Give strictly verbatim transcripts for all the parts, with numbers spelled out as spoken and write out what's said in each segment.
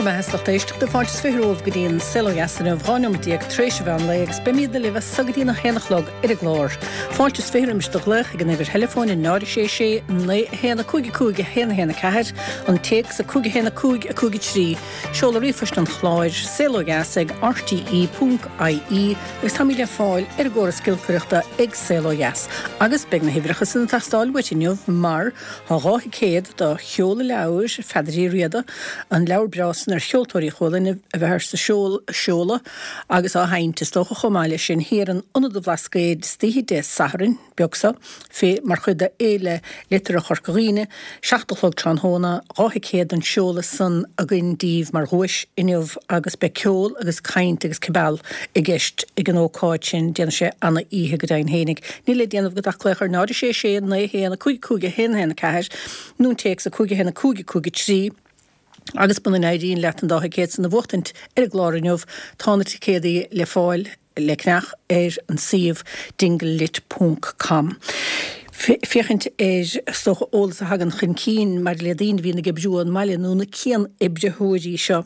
mbeatha lucht éisteachta fáilte is fiche romhaibh go dtí an Saol Ó Dheas inniu dhá nóiméad déag tar éis an mheán lae agus beimid libh as so go dtí a haon a chlog ar an gclár. Fáilte is fiche roimis do ghlaoch ag an uimhir theileafóin a náid sé sé naoi a haon a cúig a cúig a haon a haon a ceathair an téacs a cúig a haon a cúig a cúig a trí seoladh ríomhphoist an chláir saol ó dheas ag rte ponc ie agus táimid le fáil ar an gcóras giolcaireachta ag Saol Ó Dheas. Agus beidh na huimhreacha san ag teastáil uait inniu mar tá dhá thicéad do sheoladh leabhair Pheadair Uí Riada, an leabhar breá san ar cheoltóirí Chualann a bheith ar sa seoladh agus á sheinnt is dócha chomh maith leis sin thiar in Ionad an Bhlascaoid istoíche Dé Sathairn beag seo fé mar chuid de Fhéile Liteartha Chorca Dhuibhne, seacht a chlog tráthnóna, dhá thicéad don seoladh san againn daoibh mar dhuais inniu agus beidh ceol agus caint agus cibeal i gceist ag an ócáid sin, déanfaidh sé ana-oíche go deimhin fhéinig. Níl le déanamh agat ach glaoch ar náid a sé sé naoi a haon a cúig cúig a haon a haon a ceathair nó an téacs a cúig a haon a cúig a cúig a trí agus muna n-éiríonn leat an dá thicéad san a bhuachtaint ar an gclár inniu, tá na ticéadaí le fáil le ceannach ar an suíomh dinglelit ponc com. Féachaint ar is dócha eolas a thagann chun cinn maidir le daoine a bhíonn ag oibriú ón mbaile nó na cian-oibritheoirí seo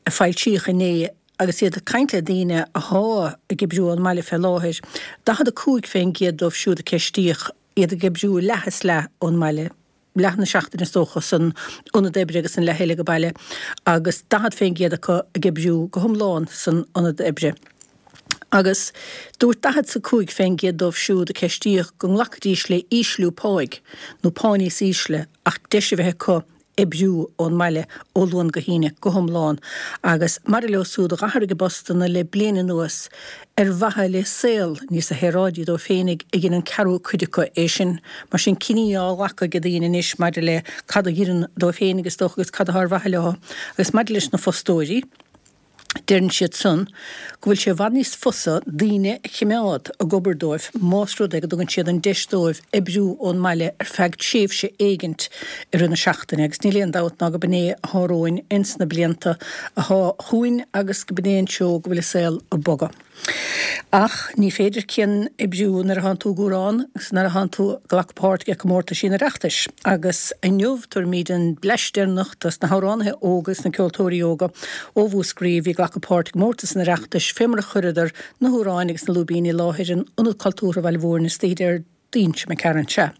a foilsíodh inné agus iad ag caint le daoine athá ag oibriú ón mbaile fé láthair, daichead a cúig fén gcéad dóibh siúd a ceistíodh iad ag oibriú leath is leath ón mbaile, leath na seachtaine is dócha san ionad oibre agus an leath eile ag baile, agus daichead fén gcéad acu ag oibriú go hiomlán san ionad oibre. Agus dúirt daichead 's a cúig fén gcéad dóibh siúd a ceistíodh go nglacfaidís le ísliú páigh, nó pá níos ísle, ach deis a bheith acu oibriú ón mbaile ó Luan go hAoine go hiomlán agus maidir leo siúd a d'athraigh a bpostanna le bliain anuas ar mhaithe le saol níos shaoráidí dóibh féinig a dhein an ceathrú cuid acu é sin. Mar sin cinní á ghlacadh ag daoine anois maidir le cad a oireann dóibh féinig is dócha agus cad atá ar mhaithe leo. Agus maidir leis na fostóirí, deireann siad san go bhfuil sé i bhfad níos fusa daoine a chimeád ag obair dóibh más rud é go dtugann siad an deis dóibh oibriú ón mbaile ar feadh tréimhse éigint i rith na seachtaine agus níl aon dabht ná go b'in é athá romhainn ins na blianta athá chugainn agus go b'in é an treo go bhfuil an saol ag bogadh. Ach ní féidir cian-oibriú nuair atánn tú ag amhrán agus nuair atánn tú ag glacadh páirt ag comórtaisí an Oireachtais. Agus inniu tabharfaimid an bleaist deireanach dos na hamhránaithe óga agus na ceoltóirí óga ó Mhúscraí a bhí ag glacadh páirt i gcomórtas an Oireachtais fé mar a chuireadar na hamhráin agus na lúibíní i láthair in Ionad Cultúrtha Bhaile Mhúirne istoíche Déardaoin seo imigh tharainn. Sea.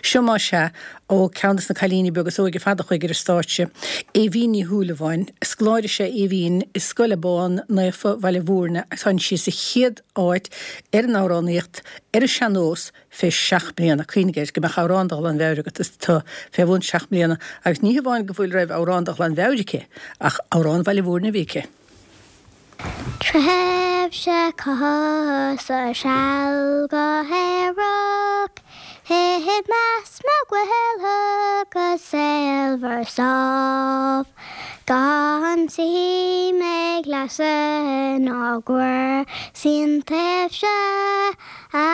Seo más ea, ó ceann de na cailíní beaga is óige ar fad a chuaigh ar an stáitse, Aoibhín Ní Shúilleabháin. Scoláire is ea Aoibhín i Scoil Abán Naofa Bhaile Mhúirne agus tháinig sí sa chéad áit ar an amhránaíocht ar an sean-nós fé seacht mbliana. Cuimhnigh air go mbeadh amhrán de ghlanmheabhair agat is tú fé bhun seacht mbliana agus ní hamháin go bhfuil raibh amhrán de ghlanmheabhair aici ach amhrán Bhaile Mhúirne a bhí aici. Tréimhse cosa seal go hEireach i measc mo ghualtha go saolmhar sámh, Gan suim ag lasadh ná cúrsaí an tréimhse a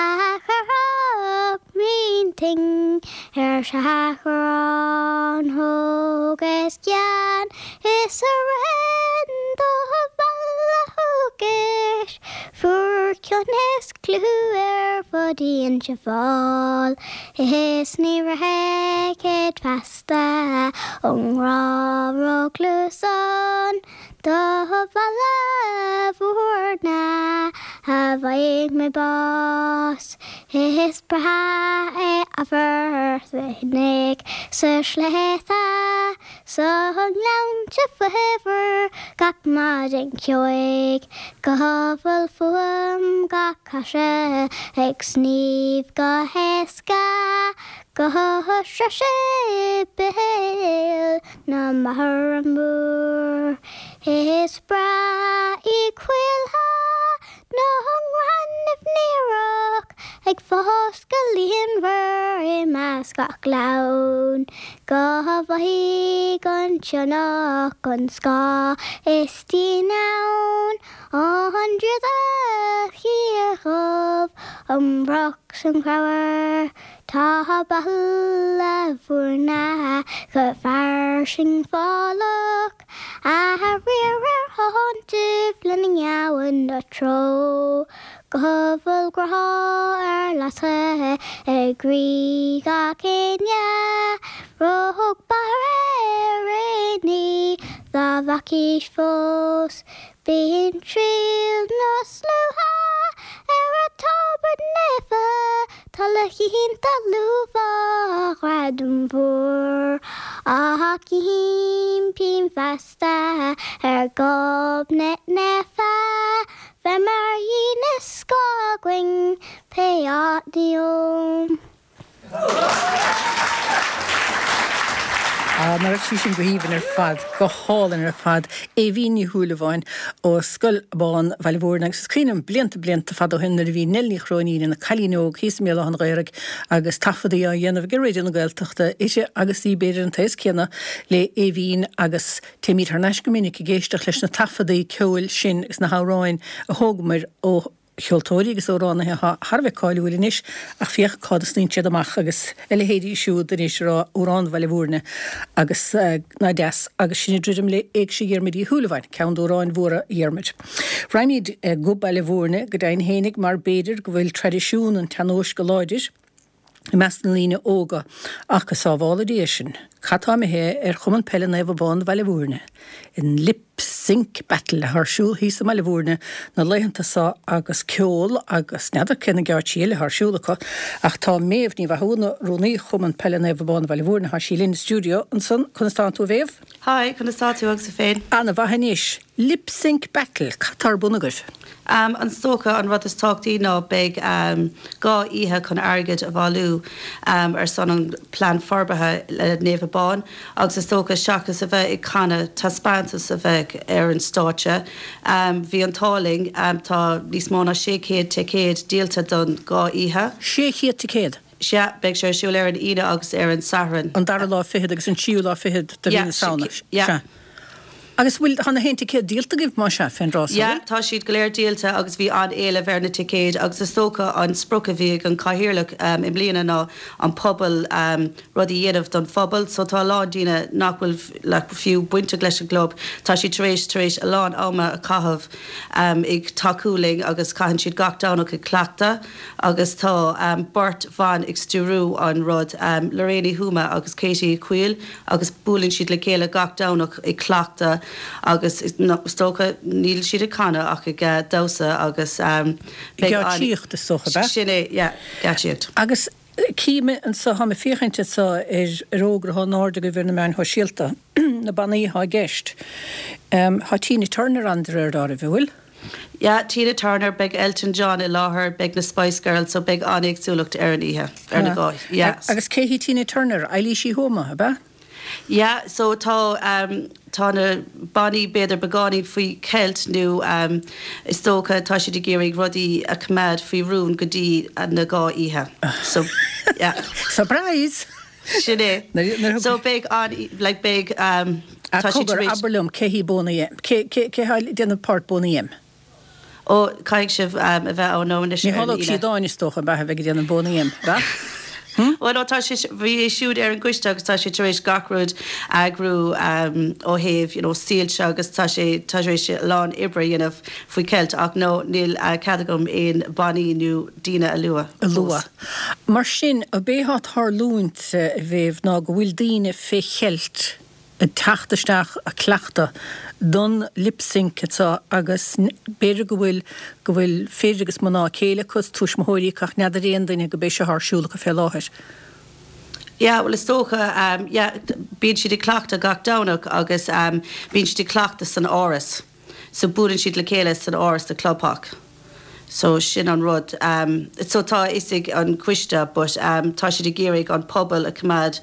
chuirfeadh m'intinn ar seachrán Thógas gean is a rinn do Bhaile Thugais fuair cion is clú ar fud Inse Fáil is ní rachaidh feasta ón ngrá róchluasán do Bhaile Mhúirne a bhfaighidh mé bás. Is breá é amharc na gcnoc sa sléibhte 's na gleannta faobhair gach maidin cheoigh, go bhfuil fuaim gach claise ag sníomh go héasca go Sraith Séipéal na Máthara Mór. Is breá í coillthe na ngaineamh néarach ag fás go líonmhar i measc gach gleann, go bhfaighidh an sionnach an scáth is díon ann, an draíocht chiardhubh, an broc 's an creabhar. Tá Baile Mhúirne go fairsing fálach, A riar ar thonntaibh lena ngabhann a treo, Go bhfuil grá ar lasadh i gcroí gach éinne, Rug barr ar éinní dá gach aois fós. Bíonn triall na slua ar an Tobar Naofa, Tá le cinnte luafa ghradam mhór. Ach impím feasta ar Ghobnait Naofa, bheith mar dhíon is scáth againn pé áit a dtéim. Ah, nach raibh sí sin go haoibhinn ar fad, go hálainn ar fad. Aoibhín Ní Shúilleabháin ó Scoil Abán Bhaile Mhúirne agus is cuimhin liom blianta blianta fada ó shin nuair a bhí Nell Ní Chróinín ina cailín óg thíos i mBéal Átha an Ghaorthaidh agus taifeadaí á dhéanamh ag Raidió na Gaeltachta uirthi agus í b'fhéidir an t-aos céanna le Aoibhín agus téimid thar n-ais go minic ag éisteacht leis na taifeadaí ceoil sin agus na hamhráin a thógamar ó cheoltóirí agus amhránaithe atá thar a bheith cáiliúil anois ach féach cá fhad a shnoíonn siad amach agus a leithéidí siúd anois ag rá amhrán Bhaile Mhúirne agus nach deas agus sin ag druidim le Éigse Dhiarmuid Uí Shúilleabháin, ceann d'amhráin mhóra Dhiarmuid. Raghaimid go Baile Mhúirne go deimhin fhéinig mar b'fhéidir go bhfuil traidisiún an tsean-nóis go láidir i measc na ndaoine óga ach go sábhála Dia sinn, cad tá imithe ar Chumann Peile Naomh Abán Bhaile Mhúirne? An Lip Sync Battle atá ar siúl thíos i mBaile Mhúirne na laethanta seo agus ceol agus n'fheadar cé na geáitsí eile atá ar siúl acu ach tá Méabh Ní Mhathúna, Rúnaí Chumann Peile Naomh Abán Bhaile Mhúirne, tá sí linn i stiúideo ansan. Conas tánn tú a Mhéabh? Hi, conas tá tú agus tú féin? Ana-mhaith anois. Lip Sync Battle, cad tá ar bun agaibh? Um, is dócha an rud is tábhachtaí ná beidh um, dhá oíche chun airgead a bhailiú um, ar son an plean forbartha le Naomh Abán agus is dócha seachas a bheith ag canadh taispeántas a bheith ar an stáitse. Um, bhí an t-ádh linn um, tá níos mó ná sé chéad ticéad díolta don dhá oíche. Sé chéad ticéad? Sea, beidh sé ar siúl ar an Aoine agus ar an Satharn. An dara lá fichead agus an tríú lá fichead de mhí na Samhna. Yeah. Agus bhfuil tá na haon ticéad díolta agaibh más ea fén dtráth Yeah, tá siad go léir díolta agus bhí an-éileamh ar na ticéid agus is dócha an sprioc a bhí ag an cathaoirleach um, i mbliana ná an pobal um, rud a dhéanamh don phobal, so tá a lán daoine nach bhfuil like, fiú bainteach leis an gclub. Tá siad tar éis tar éis a lán ama a chaitheamh um, ag tacú linn agus caitheann siad gach Domhnach ag cleachtadh agus tá um, beirt bhan ag stiúradh an rud um, Lorraine Huma agus Katie Quill agus buaileann siad le chéile gach Domhnach ag cleachtadh agus is dócha níl siad ag canadh ach ag uh, damhsa agus um, Geáitsíocht is dócha be? Sin é, yeah, geáitsíocht. Agus cím anseo tá mé ag féachaint anseo ar ar fhógra atá in airde agaibh ar na meáin shóisialta na bannaí atá i gceist. Um, Tá Tina Turner ann de réir dealraimh, an bhfuil? Yeah, Tina Turner, beidh Elton John i láthair, beidh na Spice Girls, so beidh an-éagsúlacht ar an oíche ar na dhá. Yeah. Agus cé hí Tina Turner, Eilís Uí Thuama, ab ea? Yeah, so tá um, tá na bannaí b'fhéidir beagáinín faoi cheilt nó um, is dócha tá siad ag iarraidh rudaí a choimeád faoi rún go dtí na dhá oíche. So yeah. Surprise! Sin é. So beidh an like beidh um, tá siad tar éis- Abair liom cé hí Boney M. Cé cé cé há déanamh páirt Boney M? Ó caithfidh sibh um, a bheith ann anois Ní ar an hálóg Aoine. sí dáin is dócha beatha bheith ag déanamh Boney M, ba? Well no, tá sé bhí é siúd ar an gcoiste agus tá sé tar éis gach rud eagrú um, ó thaobh you know, soilse agus tá sé tá sé a lán oibre a dhéanamh faoi cheilt ach no níl uh, cead agam aon bannaí nó daoine a lua. a lua. Mar sin a b'é tarlúint a bhéh ná go bhfuil daoine fé cheilt ag teacht isteach ag cleachtadh don lip sync atá agus n- b'fhéidir go bhfuil go bhfuil fir agus mná céile agus tuismitheoirí ach n'fheadar aon duine go b'é seo ar siúl acu fé láthair. Yeah, well is dócha um, yeah, bíonn siad ag cleachtadh gach Domhnach agus um, bíonn siad ag cleachtadh san áras. So buaileann siad le chéile san áras de Clubhach. So sin an rud. Um, so tá is ag an coiste, but um, tá siad ag iarraidh an pobal a choimeád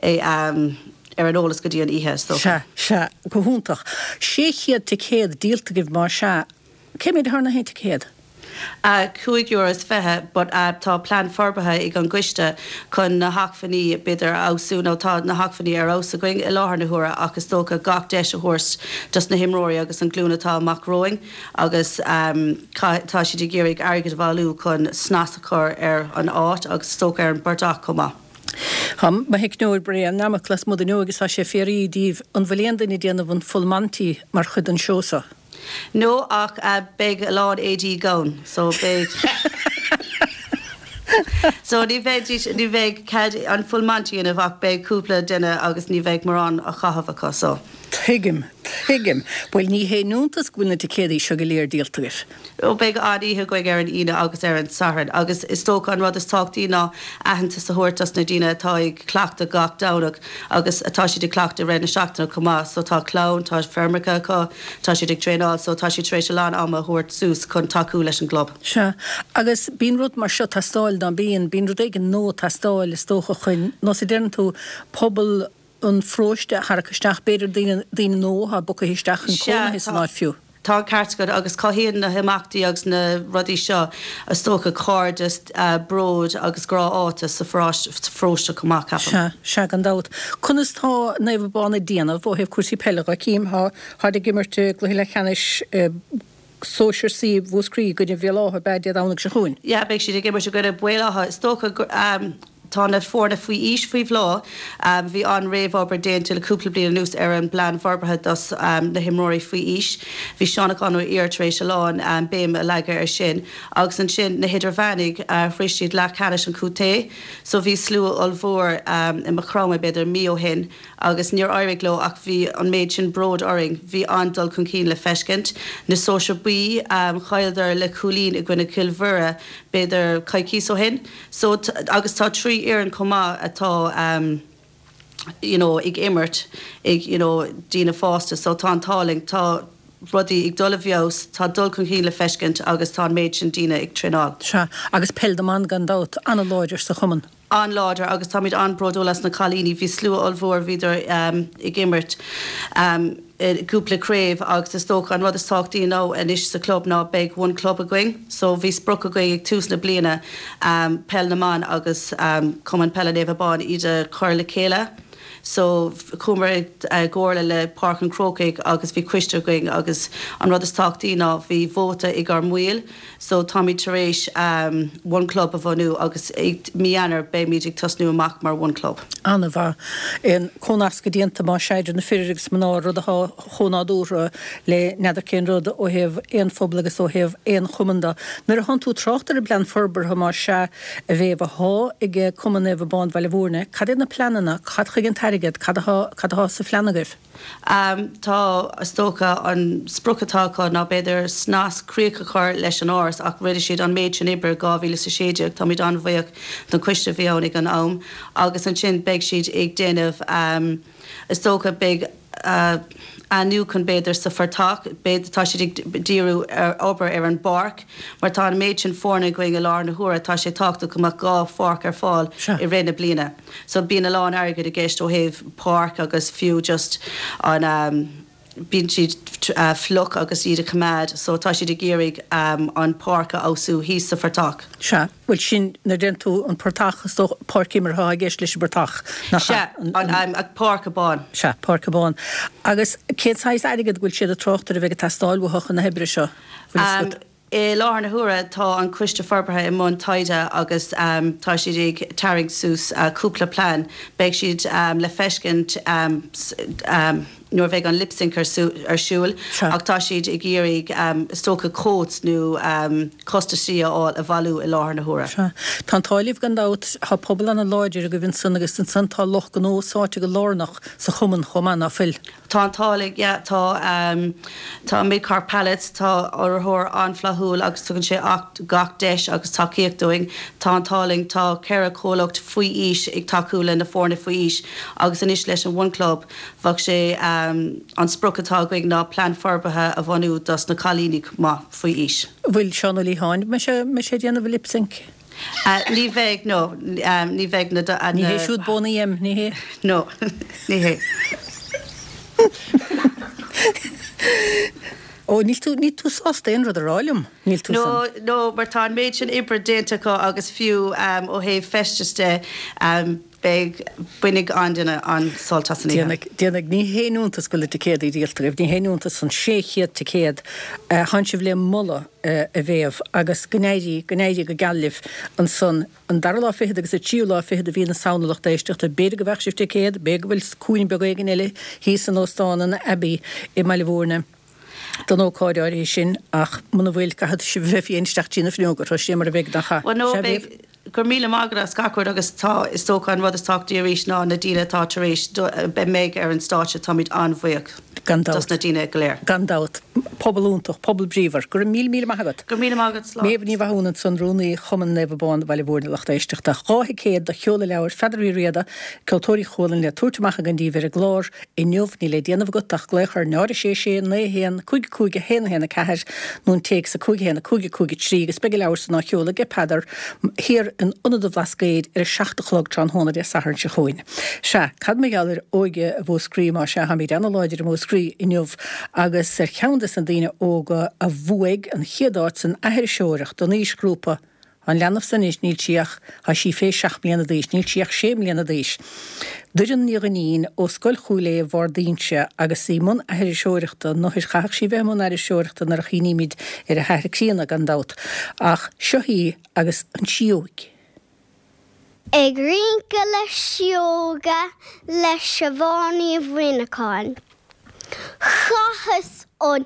é um, ar an eolas go dtí an oíche. So. Sea, sea, go hiontach. Sé chéad ticéad díolta agaibh mar sea, cé mhéad thar na haon ticéad? Uh, cúig euro is fiche, but uh, tá plean forbartha ag an gcoiste chun na hacmhainní b'fhéidir a fheabhsú nó tá na hacmhainní ar fheabhas againn i láthair na huaire ach is dócha gach deis a thabhairt dos na himreoirí agus an glúin atá amach romhainn agus um, tá siad ag iarraidh airgead a bhailiú chun snas a chur ar an áit agus is dócha ar an bportach chomh maith. Tá mo theicneoir Brian namach las mud agus tá sé fiafraí díobh an bhfuil aon duine ag déanamh an full monty mar chuid den seó seo. No ach uh, beidh a lán éadaí gann, so beidh So ní bheidh ní bheidh cead an full monty ina ach beidh cúpla duine agus ní bheidh mórán á chaitheamh acu so. Tuigim, tuigim. Bhuel ní haon iontas go bhfuil na ticéadaí seo go léir díolta agaibh. Ó beidh an-oíche againn ar an Aoine agus ar an Satharn agus is dócha an rud is tábhachtaí ná aitheantas a thabhairt dos na daoine atá ag cleachtadh gach Domhnach agus atá siad ag cleachtadh i rith na seachtaine chomh maith. So tá clann, tá feirmeacha acu, tá siad ag traenáil so tá siad tar éis a lán ama a thabhairt suas chun tacú leis an gclub. Sea. Agus bíonn rud mar seo ag teastáil ná bíonn, bíonn rud éigin nua ag teastáil is dócha chun, nós a deireann tú, pobal an pharóiste a tharrac isteach, b'fhéidir daoine, daoine nua atá bogtha isteach chun cónaithe san áit fiú. Tá an ceart agat agus cothaíonn na himeachtaí agus na rudaí seo is dócha cairdeas, bród agus grá áite sa pharóiste chomh maith, ceapaim. Sea, sea, gan dabht. Conas tá Naomh Abán ag déanamh ó thaobh cúrsaí peile dhe? Cím, tá, táid ag imirt i gcluiche leathcheannais Sóisear C Mhúscraí i gcoinne Bhéal Átha, ab ea, Dé Domhnaigh seo chugainn? Yeah, beidh siad ag imirt i gcoinne Bhéal Átha. Is dócha gur, Tá na foirne faoi aois faoi bhláth. Bhí an-réamhobair déanta le cúpla bliain anuas ar an bplean forbartha dos na himreoirí faoi aois. Bhí Seán Ó Conchúir tar éis a lán béim a leagadh ar sin. Agus ansin na hidirmheánaigh, shroich siad leathcheannais an chontae. So bhí slua ollmhór i Maigh Chromtha b'fhéidir mí ó shin agus níor éirigh leo ach bhí an méid sin bróid orainn. Bhí an-dul chun cinn le feiscint. Na sóisir buí, chailleadar le cúilín i gcoinne Cill Mhuire b'fhéidir coicíos ó shin. So, agus tá trí fhoireann chomh maith atá you know ag imirt ag you know daoine fásta so tá an t-ádh linn, tá rudaí ag dul i bhfeabhas, tá dul chun cinn le feiscint agus tá an méid sin daoine ag traenáil. Sea, agus peil na mban gan dabht, an-láidir sa chumann. An-láidir agus táimid an-bhródúil as na cailíní, bhí slua ollmhór, bhíodar ag imirt i gcúpla craobh agus is dócha an rud is tábhachtaí ná anois sa chlub ná beidh one club againn so bhí sprioc againn ag tús na bliana peil na mban agus Cumann Peile Naomh Abán iad a chur le chéile so chuamar i gcomhairle le Páirc an Chrócaigh agus bhí coiste againn agus an rud is tábhachtaí ná bhí vóta ag ár mbaill So táimid tar éis One Club a bhunú agus i mí Eanáir beimid ag tosnú amach mar One Club. An-mhaith. An comhnascadh déanta más ea idir na fir agus mná, rud atá chomh nádúrtha le n'fheadar cén rud ó thaobh aon phobal agus ó thaobh aon chumann de. Nuair a thánn tú ag trácht ar an bplean forbartha más ea a Mhéabh athá ag Cumann Naomh Abán Bhaile Mhúirne, cad iad na pleananna, cad chuige an t-airgead, cad athá, cad athá sa phlean agaibh? Tá, is dócha, an sprioc atá acu ná b'fhéidir snas, críoch a chur leis an áras ach rinne siad an méid sin oibre i dhá mhíle is a sé déag, táimid an-bhuíoch don choiste a bhí ann ag an am agus ansin beidh siad ag déanamh, is dócha, beidh athnuachan b'fhéidir sa phortach, b'fhéidir, tá siad ag díriú ar obair ar an bpáirc mar tá an méid sin foirne againn i láthair na huaire, tá sé tábhachtach go mbeadh dhá pháirc ar fáil i rith na bliana. So bíonn a lán airgid i gceist ó thaobh páirc agus fiú just an bíonn siad fliuch agus iad a choimeád so tá siad ag iarraidh an páirc a fheabhsú thíos sa phortach. Sea, bhuel sin, nuair a deireann tú an portach is dócha páirc imeartha atá i gceist leis an bportach, nach ea? Sea, an Páirc Abán. Sea, Páirc Abán. Agus cén saghas airgid go bhfuil siad ag trácht air a bheidh ag teastáil uathu chun na hoibre seo, bhfuil fhios agat? I láthair na huaire tá an Coiste Forbartha i mbun taighde agus tá siad ag tarraingt suas cúpla plean. Beidh siad le feiscint nuair a bheidh an Lipsync ar siúl ach tá siad ag iarraidh is dócha quotes nó costaisí a fháil a bhailiú i láthair na huaire. Sea. Tá an t-ádh libh gan dabht, tá pobal ana-láidir agaibh ansan agus ansan tá lucht gnó sáite go lárnach sa chumann chomh maith, ná fuil? Tá an t-ádh linn, yeah, tá, tá Mid-Cork Pallets, tá urraitheoir an-fhlaithiúil agus tugann sé gach deis agus tacaíocht dúinn. Tá an t-ádh linn, tá ceithre chomhlacht faoi aois ag tacú le na foirne faoi aois agus anois leis an One Club, bheadh sé, an sprioc atá againn ná plean forbartha a bhunú dos na cailíní chomh maith faoi aois. Bhfuil Seán Ó Liatháin, mbeidh sé, mbeidh sé ag déanamh a lip sync? Ní bheidh, no, ní bheidh na. Ní hé siúd Boney M, ní hé? No, ní hé. Ó, níl tú, níl tú sásta aon rud a rá liom, níl tú No, san. no, mar tá an méid sin oibre déanta acu agus fiú ó thaobh feistis de, Beidh, bainfidh an-duine an-sult as an oíche. Déanfaidh, déanfaidh. Ní haon iontas go bhfuil na ticéadaí díolta agaibh, ní haon iontas an sé chéad ticéad. Tánn sibh le moladh, a Mhéabh, agus go n-éirí, go n-éirí go geal libh ansan an dara lá fichead agus an tríú lá fichead de mhí na Samhna lucht éisteachta. B'fhéidir go bhfaighidh sibh ticéad, b'fhéidir go bhfuil cúinne beag éigin eile thíos in Óstán an Abbey i mBaile Mhúirne don ócáid áirithe sin, ach muna bhfuil, caithfidh sibh a bheith féin isteach trí na fuinneoga, tá sé mar a bheidh, nach ea? Bhuel, no, Sea, beidh, Mhéabh? Go raibh míle maith agat as gach rud agus tá, is dócha, an rud is tábhachtaí arís ná na daoine atá tar éis, a mbeidh ar an stáitse, táimid an-bhuíoch. Gan dabht. Dos na daoine go léir. Gan dabht. Pobal iontach, pobal bríomhar. Go raibh míle míle maith agat. Go raibh míle maith agat, slán. Méabh Ní Mhathúna ansan, Rúnaí Chumann Naomh Abán Bhaile Mhúirne lucht éisteachta. Dhá thicéad do sheoladh leabhair Pheadair Uí Riada, Ceoltóirí Chualann le tabhairt amach againn daoibh ar an gclár inniu. Níl le déanamh agat ach glaoch ar náid a sé sé naoi a haon cúig cúig a haon a haon a ceathair nó an téacs a cúig a haon a cúig a cúig a trí agus beidh an leabhar san á sheoladh ag Peadar thiar in Ionad an Bhlascaoid ar a seacht a chlog tráthnóna Dé Sathairn seo chugainn. Sea, cad mar gheall ar óige Mhúscraí más ea, táimid ana-láidir i Múscraí inniu agus ar cheann des na daoine óga a bhuaigh an chéad áit san aithriseoireacht don aoisghrúpa, an leanbh san anois níl sí ach, tá sí fé seacht mbliana d'aois, níl sí ach sé mbliana d'aois. Doireann Ní Dhuinnín ó Scoil Chúil Aodha Bharr d'Inse agus í i mbun aithriseoireachta, nó chaithfeadh sí bheith i mbun aithriseoireachta nuair a chuimhnímid ar a hathair críonna gan dabht, ach seo í agus an tSióg. Ag rince le Sióga le Siobhán Ní Mhuineacháin. Chaitheas an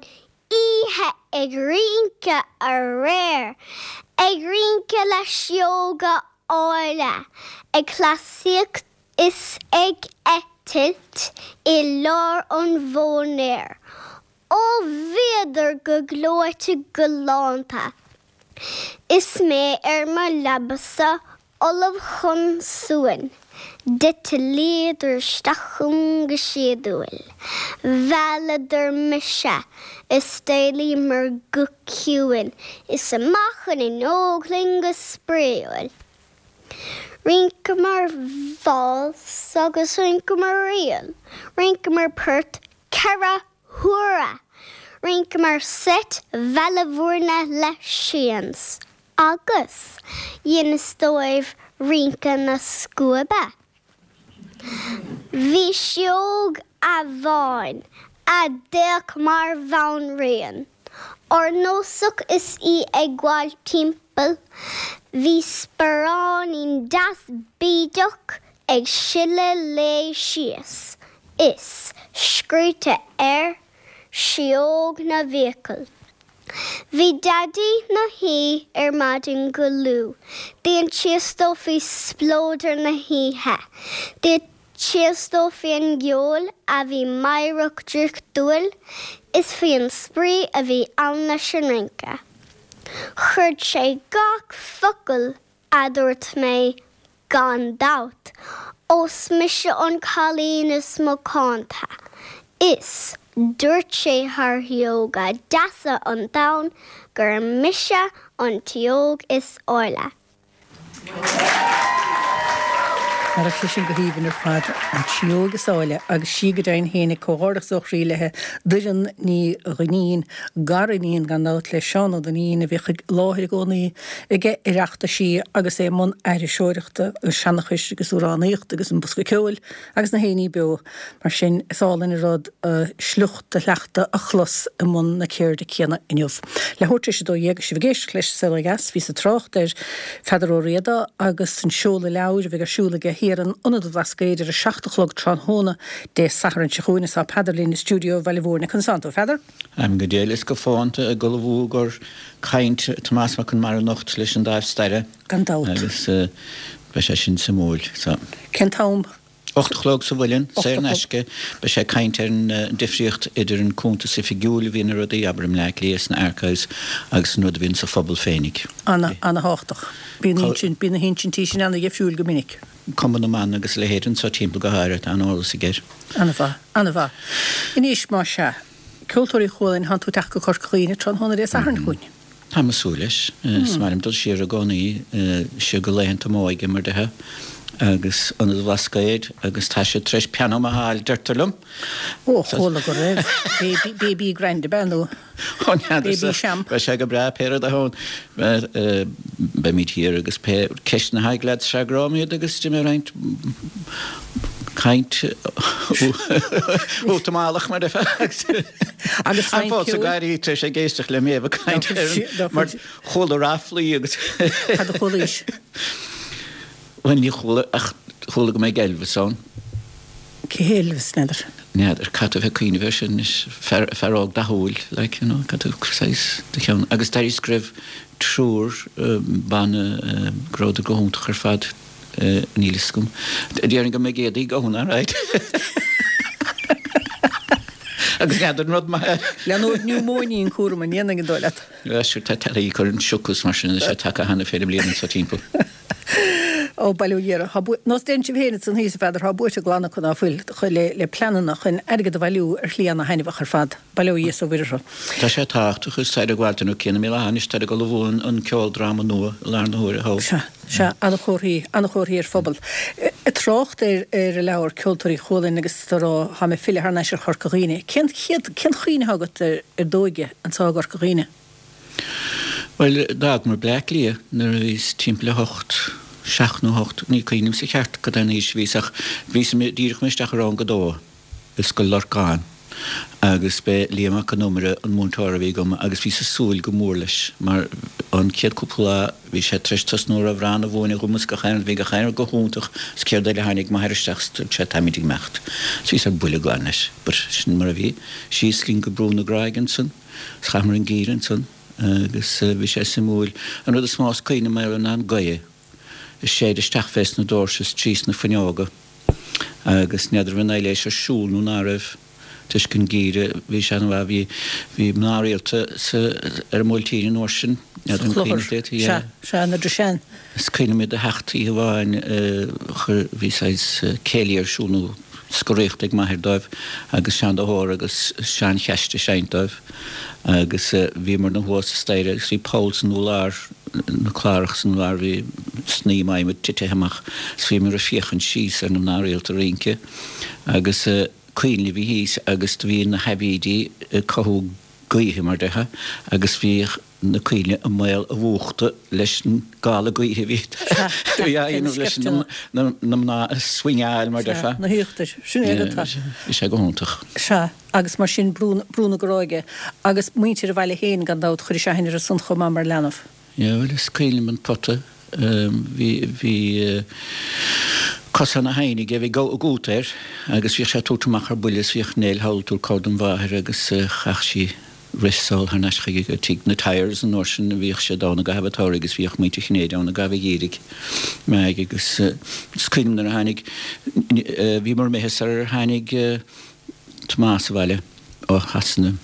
oíche ag rince aréir, ag rince le sióga áille, ag cleasaíocht is ag eitilt i lár an mhóinéir. Ó bhíodar go gleoite galánta, is mé ar mo leaba-sa ullamh chun suain. D'eitlíodar isteach chugam go síodúil. Mhealladar mise is d'éalaíomar go ciúin is amach an fhuinneog linn go spraíúil. Rinceamar váls agus rinceamar ríl, rinceamar port ceithre huaire, rinceamar seit Bhaile Mhúirne le sians. Agus dheineas dóibh rince na scuaibe. Bhí sióg amháin a d'fhéach mar bhanríon, órnósach is í ag gabháil timpeall, bhí sparáinín deas bídeach ag sileadh léi síos, is scríte air, Sióg na bhFiacal. Bhí Daidí 'na shuí ar maidin go luath. D'insíos dó faoi spleodar na hoíche. D'insíos dó faoin gceol a bhí meidhreach draíochtúil is faoin spraoi a bhí ann leis an rince. Chreid sé gach focal a dúirt mé, gan dabht, ós mise an cailín is macánta. Is dúirt sé thar shióga deasa an domhain gur mise an tsióg is áille. Nach raibh sé sin go haoibhinn ar fad, an tsióg is áille, agus sí go deimhin féin ag comhghairdeachas ó chroí léi, Doireann Ní Dhuinnín, gariníon gan dabht le Seán Ó Duinnín a bhíodh i láthair i gcónaí ag Oireachtaisí agus é i mbun aithriseoireachta agus seanchais agus amhránaíochta agus an bosca ceoil agus na héiní beo. Mar sin, is álainn an rud a sliocht, a shleachta a chlos i mbun na ceirde céanna inniu. Leathuair tar éis a dó dhéag agus sibh ag éisteacht leis An Saol Ó Dheas, bhíos ag trácht ar Pheadar Ó Riada agus an seoladh leabhair a bheidh ar siúl aige thiar in Ionad an Bhlascaoid ar a seacht a chlog tráthnóna Dé Sathairn seo chugainn is tá Peadar linn i stiúideo Bhaile Mhúirne. Conas tánn tú, a Pheadair? Táim go diail is go fónta ag ullmhú i gcomhair caint Tomás Mac Conmara anocht leis an Dáimh Staire. Gan dabht. Agus beidh sé sin suimiúil. Cén t-am? Ocht a chlog sa Mhuileann, saor in aisce. Beidh sé ag caint ar an difríocht idir an cuntas oifigiúil a bhíonn ar rudaí, abair i mBleá Cliath sna archives, agus an rud a bhíonn sa phobal féinig. Ana, ana-thábhachtach. Bíonn, bíonn na hinsintí sin ana-dhifriúil go minic. Cumann na mBan agus a leithéid anso timpeall go háirithe, tá an-eolas aige air. Ana-mhaith, ana-mhaith. Anois, más ea, Ceoltóirí Chualann, tánn tú ag teacht go Corca Dhuibhne tráthnóna Dé Sathairn chugainn. Táim ag súil leis. Is maith liom dul siar i gcónaí, siar go laethanta m'óige, mar déarfá, agus Ionad an Bhlascaoid, agus tá siad tar éis pianó maith a fháil, deirtear liom. Ó, chuala go raibh. Baby, baby grand ab ea nó Ó, n'fheadarsa. Baby champ. Beidh sé go breá, pé rud a thóin. Beimid thiar agus pé ceisteanna atá ag leaids freagróidh mé iad agus déanfaidh mé roinnt caint útamáileach mar déarfá agus Agus Táim roinnt fós ag ceoil. gáirí tar éis ag éisteacht le Méabh ag caint Ná ar fuil an mar ná fuil chuala ráflaí agus Cad a chualaís? Bhuel ní chuala ach chuala go mbeidh Elvis ann. Cé hé Elvis, n'fheadar? N'fheadar, caithfidh tú a bheith ag cuimhneamh air sin anois, fear fear óg dathúil like you know caithfidh tú saghas do cheann agus d'éiríos go raibh triúr banna go rabhadar go hiontach ar fad. Níl fhios agam. Déarfainn go mbeidh éadaí ann, alright. Agus n'fheadar an rud maith é. Leanóidh niúmóiní an cúram an ndéanfaidh an dóigh leat? Yeah, sure, tá tá ag cur an siocas mar sin, tá sé tagtha cheana féin i mbliana anso timpeall. Ó, bail ó Dhia orthu. Tá bua, nós deireann sibh féin ansan thíos, a Pheadair, tá buaite glan acu ná fuil, le, le pleananna chun airgead a bhailiú ar shlí ana-thaitneamhach ar fad. Bail ó Dhia is ó Mhuire orthu. Tá sé tábhachtach is táid ag gabháil nó cé na míle anois táid ag ullmhú an, an ceoldráma nua i láthair na huaire thall. Sea, sea, ana-chomharthaí, ana-chomharthaí ar phobal. Ag trácht ar, ar an leabhar Ceoltóirí Chualann agus tú ag rá, tá mé ag filleadh thar n-ais ar Chorca Dhuibhne. Cén chéad, cén chuimhne atá agat ar, ar d'óige anso i gCorca Dhuibhne? Bhuel, d'fhágamar Bleá Cliath nuair a bhíos timpeall a hocht, seacht nó hocht, ní cuimhin liomsa ceart cad é an aois a bhíos ach bhíos díreach imithe isteach i rang a dó i Scoil Lorcáin agus b'é Liam Mac Con Iomaire an múinteoir a bhí agam agus bhíos ag súil go mór leis mar an chéad cúpla lá bhí sé tar éis tosnú ar amhrán a mhúineadh dhom is gach aon rud, bhí gach aon rud go hiontach is céard eile tháinig m'athair isteach is dúirt sé táimid ag imeacht. Is bhíos ar buile glan leis but sin mar a bhí. Síos linn go Brú na Gráige ansan is chaitheamar an geimhreadh ansan. Agus bhí sé suimiúil. An rud is mó is cuimhin liom air ná an gaoth ag séideadh isteach fés na doirse is trí sna fuinneoga. Agus n'fheadar an raibh an aibhléis ar siúl nó ná raibh, toisc an geimhreadh, bhí sé ana-mhaith. Bhí, bhí mná rialta sa, ar an mBuailtín an uair sin. Sa chlochar. Sea, sea, na Drishane. Is cuimhin liom iad a theacht oíche amháin, chuir, bhí saghas céilí ar siúl nó scoraíocht ag m'athair dóibh agus Seán de hÓra agus Seán Cheaist ag seinnt dóibh agus bhíomarna thuas sa staighre agus bhí poll san urlár, na clárach san urlár, bhí snaidhm adhmaid titithe amach is bhíomar ag féachaint síos ar na mná rialta ag rince agus coinnle a bhí thíos agus do bhí na haibídí ag cothú gaoithe mar déarfá agus bhíodh na coinnle i mbaol a mhúchta leis an gála gaoithe a bhí á dhéanamh leis na mná a swingeáil mar déarfá. Na híochtair. Sin é agat. Bhí sé go hiontach. Sea, agus mar sin Brú Brú na Gráige agus muintir an bhaile féin gan dabht chuiris aithne orthu san chomh maith mar leanbh. Yeah, bhuel is cuimhin liom an pota. Bhí bhí cosán na haoine aige, bhí gota air agus bhíodh sé ag tabhairt amach ar buile is bhíodh Nell thall ag tabhairt cabhair don mháthair agus chaith sí rith sall thar n-ais chuige go tigh na Tyers an uair sin a bhíodh siad ann i gcaitheamh an tsamhraidh agus bhíodh muintir Chinnéide ann i gcaitheamh an gheimhridh. Meaig agus is cuimhin liom nuair a tháinig, bhíomar imithe sar ar tháinig Tomás abhaile ó Shasana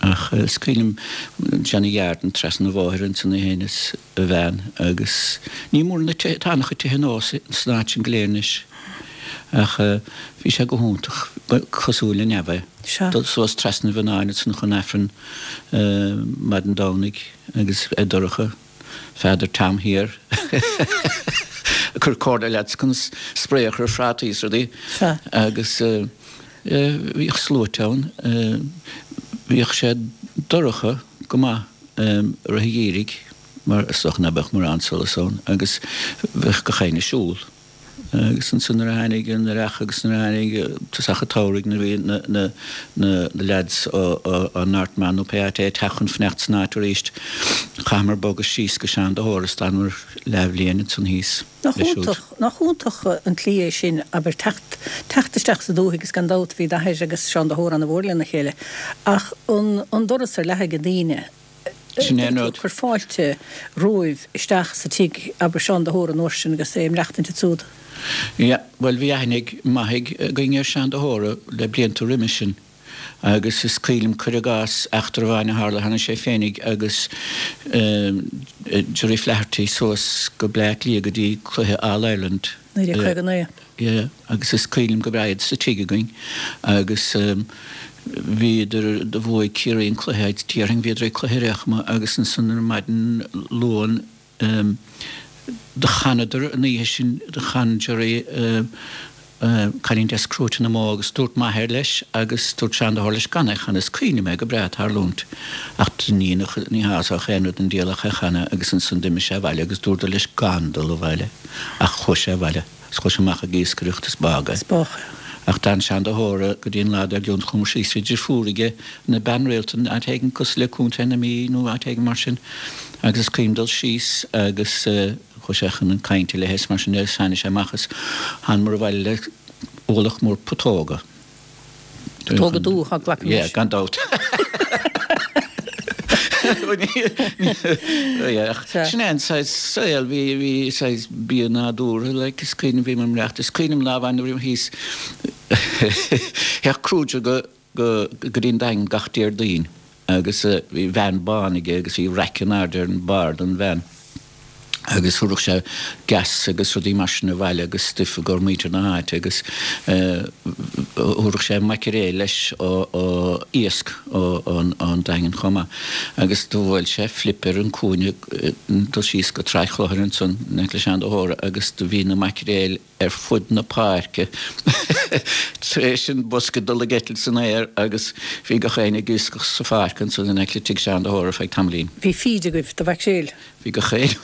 ach is cuimhin liom Johnny Yarden trasna an bhóthair ansan é féin is a bhean agus ní mór na tithe, tá an-chuid tithe nua san áit sin go léir anois. Ach bhí sé go hiontach, ba cosúil le neamh é. Sea. Dul suas trasna an Mhionnáin ansan chun Aifreann maidin Domhnaigh agus é dorcha, Father Tom thiar ag cur comhairle leat conas spray a chur ar phrátaí is rudaí. Sea. Agus bhíodh sluaite ann. Bhíodh sé dorcha go maith i rith an gheimhridh mar is dócha ná beadh mórán solas ann agus bheadh gach éinne ag siúl. Agus ansan nuair a tháinig an earrach agus nuair a tháinig tosach an tsamhraidh nuair a bhí na na na leaids ó ó Northman nó pé áit é ag teacht chun fanacht san áit aríst, chaitheamar bogadh síos go Seán de hÓra is d'fhanamar leathbhliain ansan thíos Nach leis siúd. iontach, nach iontach an tslí é sin, abair, teacht, teacht isteach sa dúthaigh agus gan dabht bhí d'athair agus Seán de hÓra ana mhór lena chéile ach an an doras ar leathadh ag daoine, Sin é an rud. Cuir fáilte romhaibh isteach sa tigh, abair Seán de hÓra an uair sin agus é ag maireachtaint ansúd. Yeah, bhuel bhí aithne maith againn ar Seán de hÓra le blianta roimis sin agus is cuimhin liom, cuir i gcás, eachtra amháin a tharla, tháinig sé féinig agus Gerry Flaherty suas go Bleá Cliath go dtí cluiche All Ireland. naoi déag caoga naoi. Yeah, agus is cuimhin liom go breá iad sa tigh againn agus bhíodar, do bhuaigh Ciarraí an cluiche, déarfainn, bhíodar ag cluiche ar aon chuma agus ansan ar maidin Luain do chanadar an oíche sin, do chan Gerry Cailín Deas Crúite na mBó agus dúirt m'athair leis agus dúirt Seán de hÓra leis gan é a chanadh, is cuimhin liom é go breá ag tarlúint ach ní ní shásódh aon rud an diabhal ach é a chanadh agus ansan d'imigh sé abhaile agus dúradar leis gan dul abhaile ach chuaigh sé abhaile agus chuaigh sé amach ag iascaireacht is bádh é. Is bádh é. Ach d'fhan Seán de hÓra go dtí an lá dár gcionn chuamar síos bhí deirfiúr aige ina bean rialta in áit éigin cosúil le Contae na Mí nó áit éigin mar sin agus is cuimhin dul síos agus Chuaigh sé chun cainte léi is mar sin de is tháinig sé amach is thánamar abhaile le ualach mór putóga. Putóga dubha, glacaim Yeah, leis. gan dabht. Yeah, ach Sea. sin é an saghas saol, bhí, bhí saghas bia nádúrtha, like, is cuimhin, bhí mé ag maireachtaint, is cuimhin liom lá amháin nuair a bhí mé thíos, théadh crúideoga go go dtí an Daingean gach Déardaoin agus bhí veain bán aige agus bhí raic in airde ar an barr den veain agus thabharfadh sé gas agus rudaí mar sin abhaile agus stuif i gcomhair muintir na háite agus thabharfadh sé maicréil leis ó iasc ón Daingean chomh maith agus do bhuail sé flip ar an cúinne dul síos go Tráigh Chlochair ansan in aice le Seán de hÓra agus do bhí na maicréil ar fud na páirce tar éis an bosca dul ag eitilt san aer agus bhí gach éinne ag iascach sa pháirc ansan in aice le tigh Sheáin de hÓra ar feadh tamaillín. Bhí feed agaibh do mhaicréil? Bhí gach éinne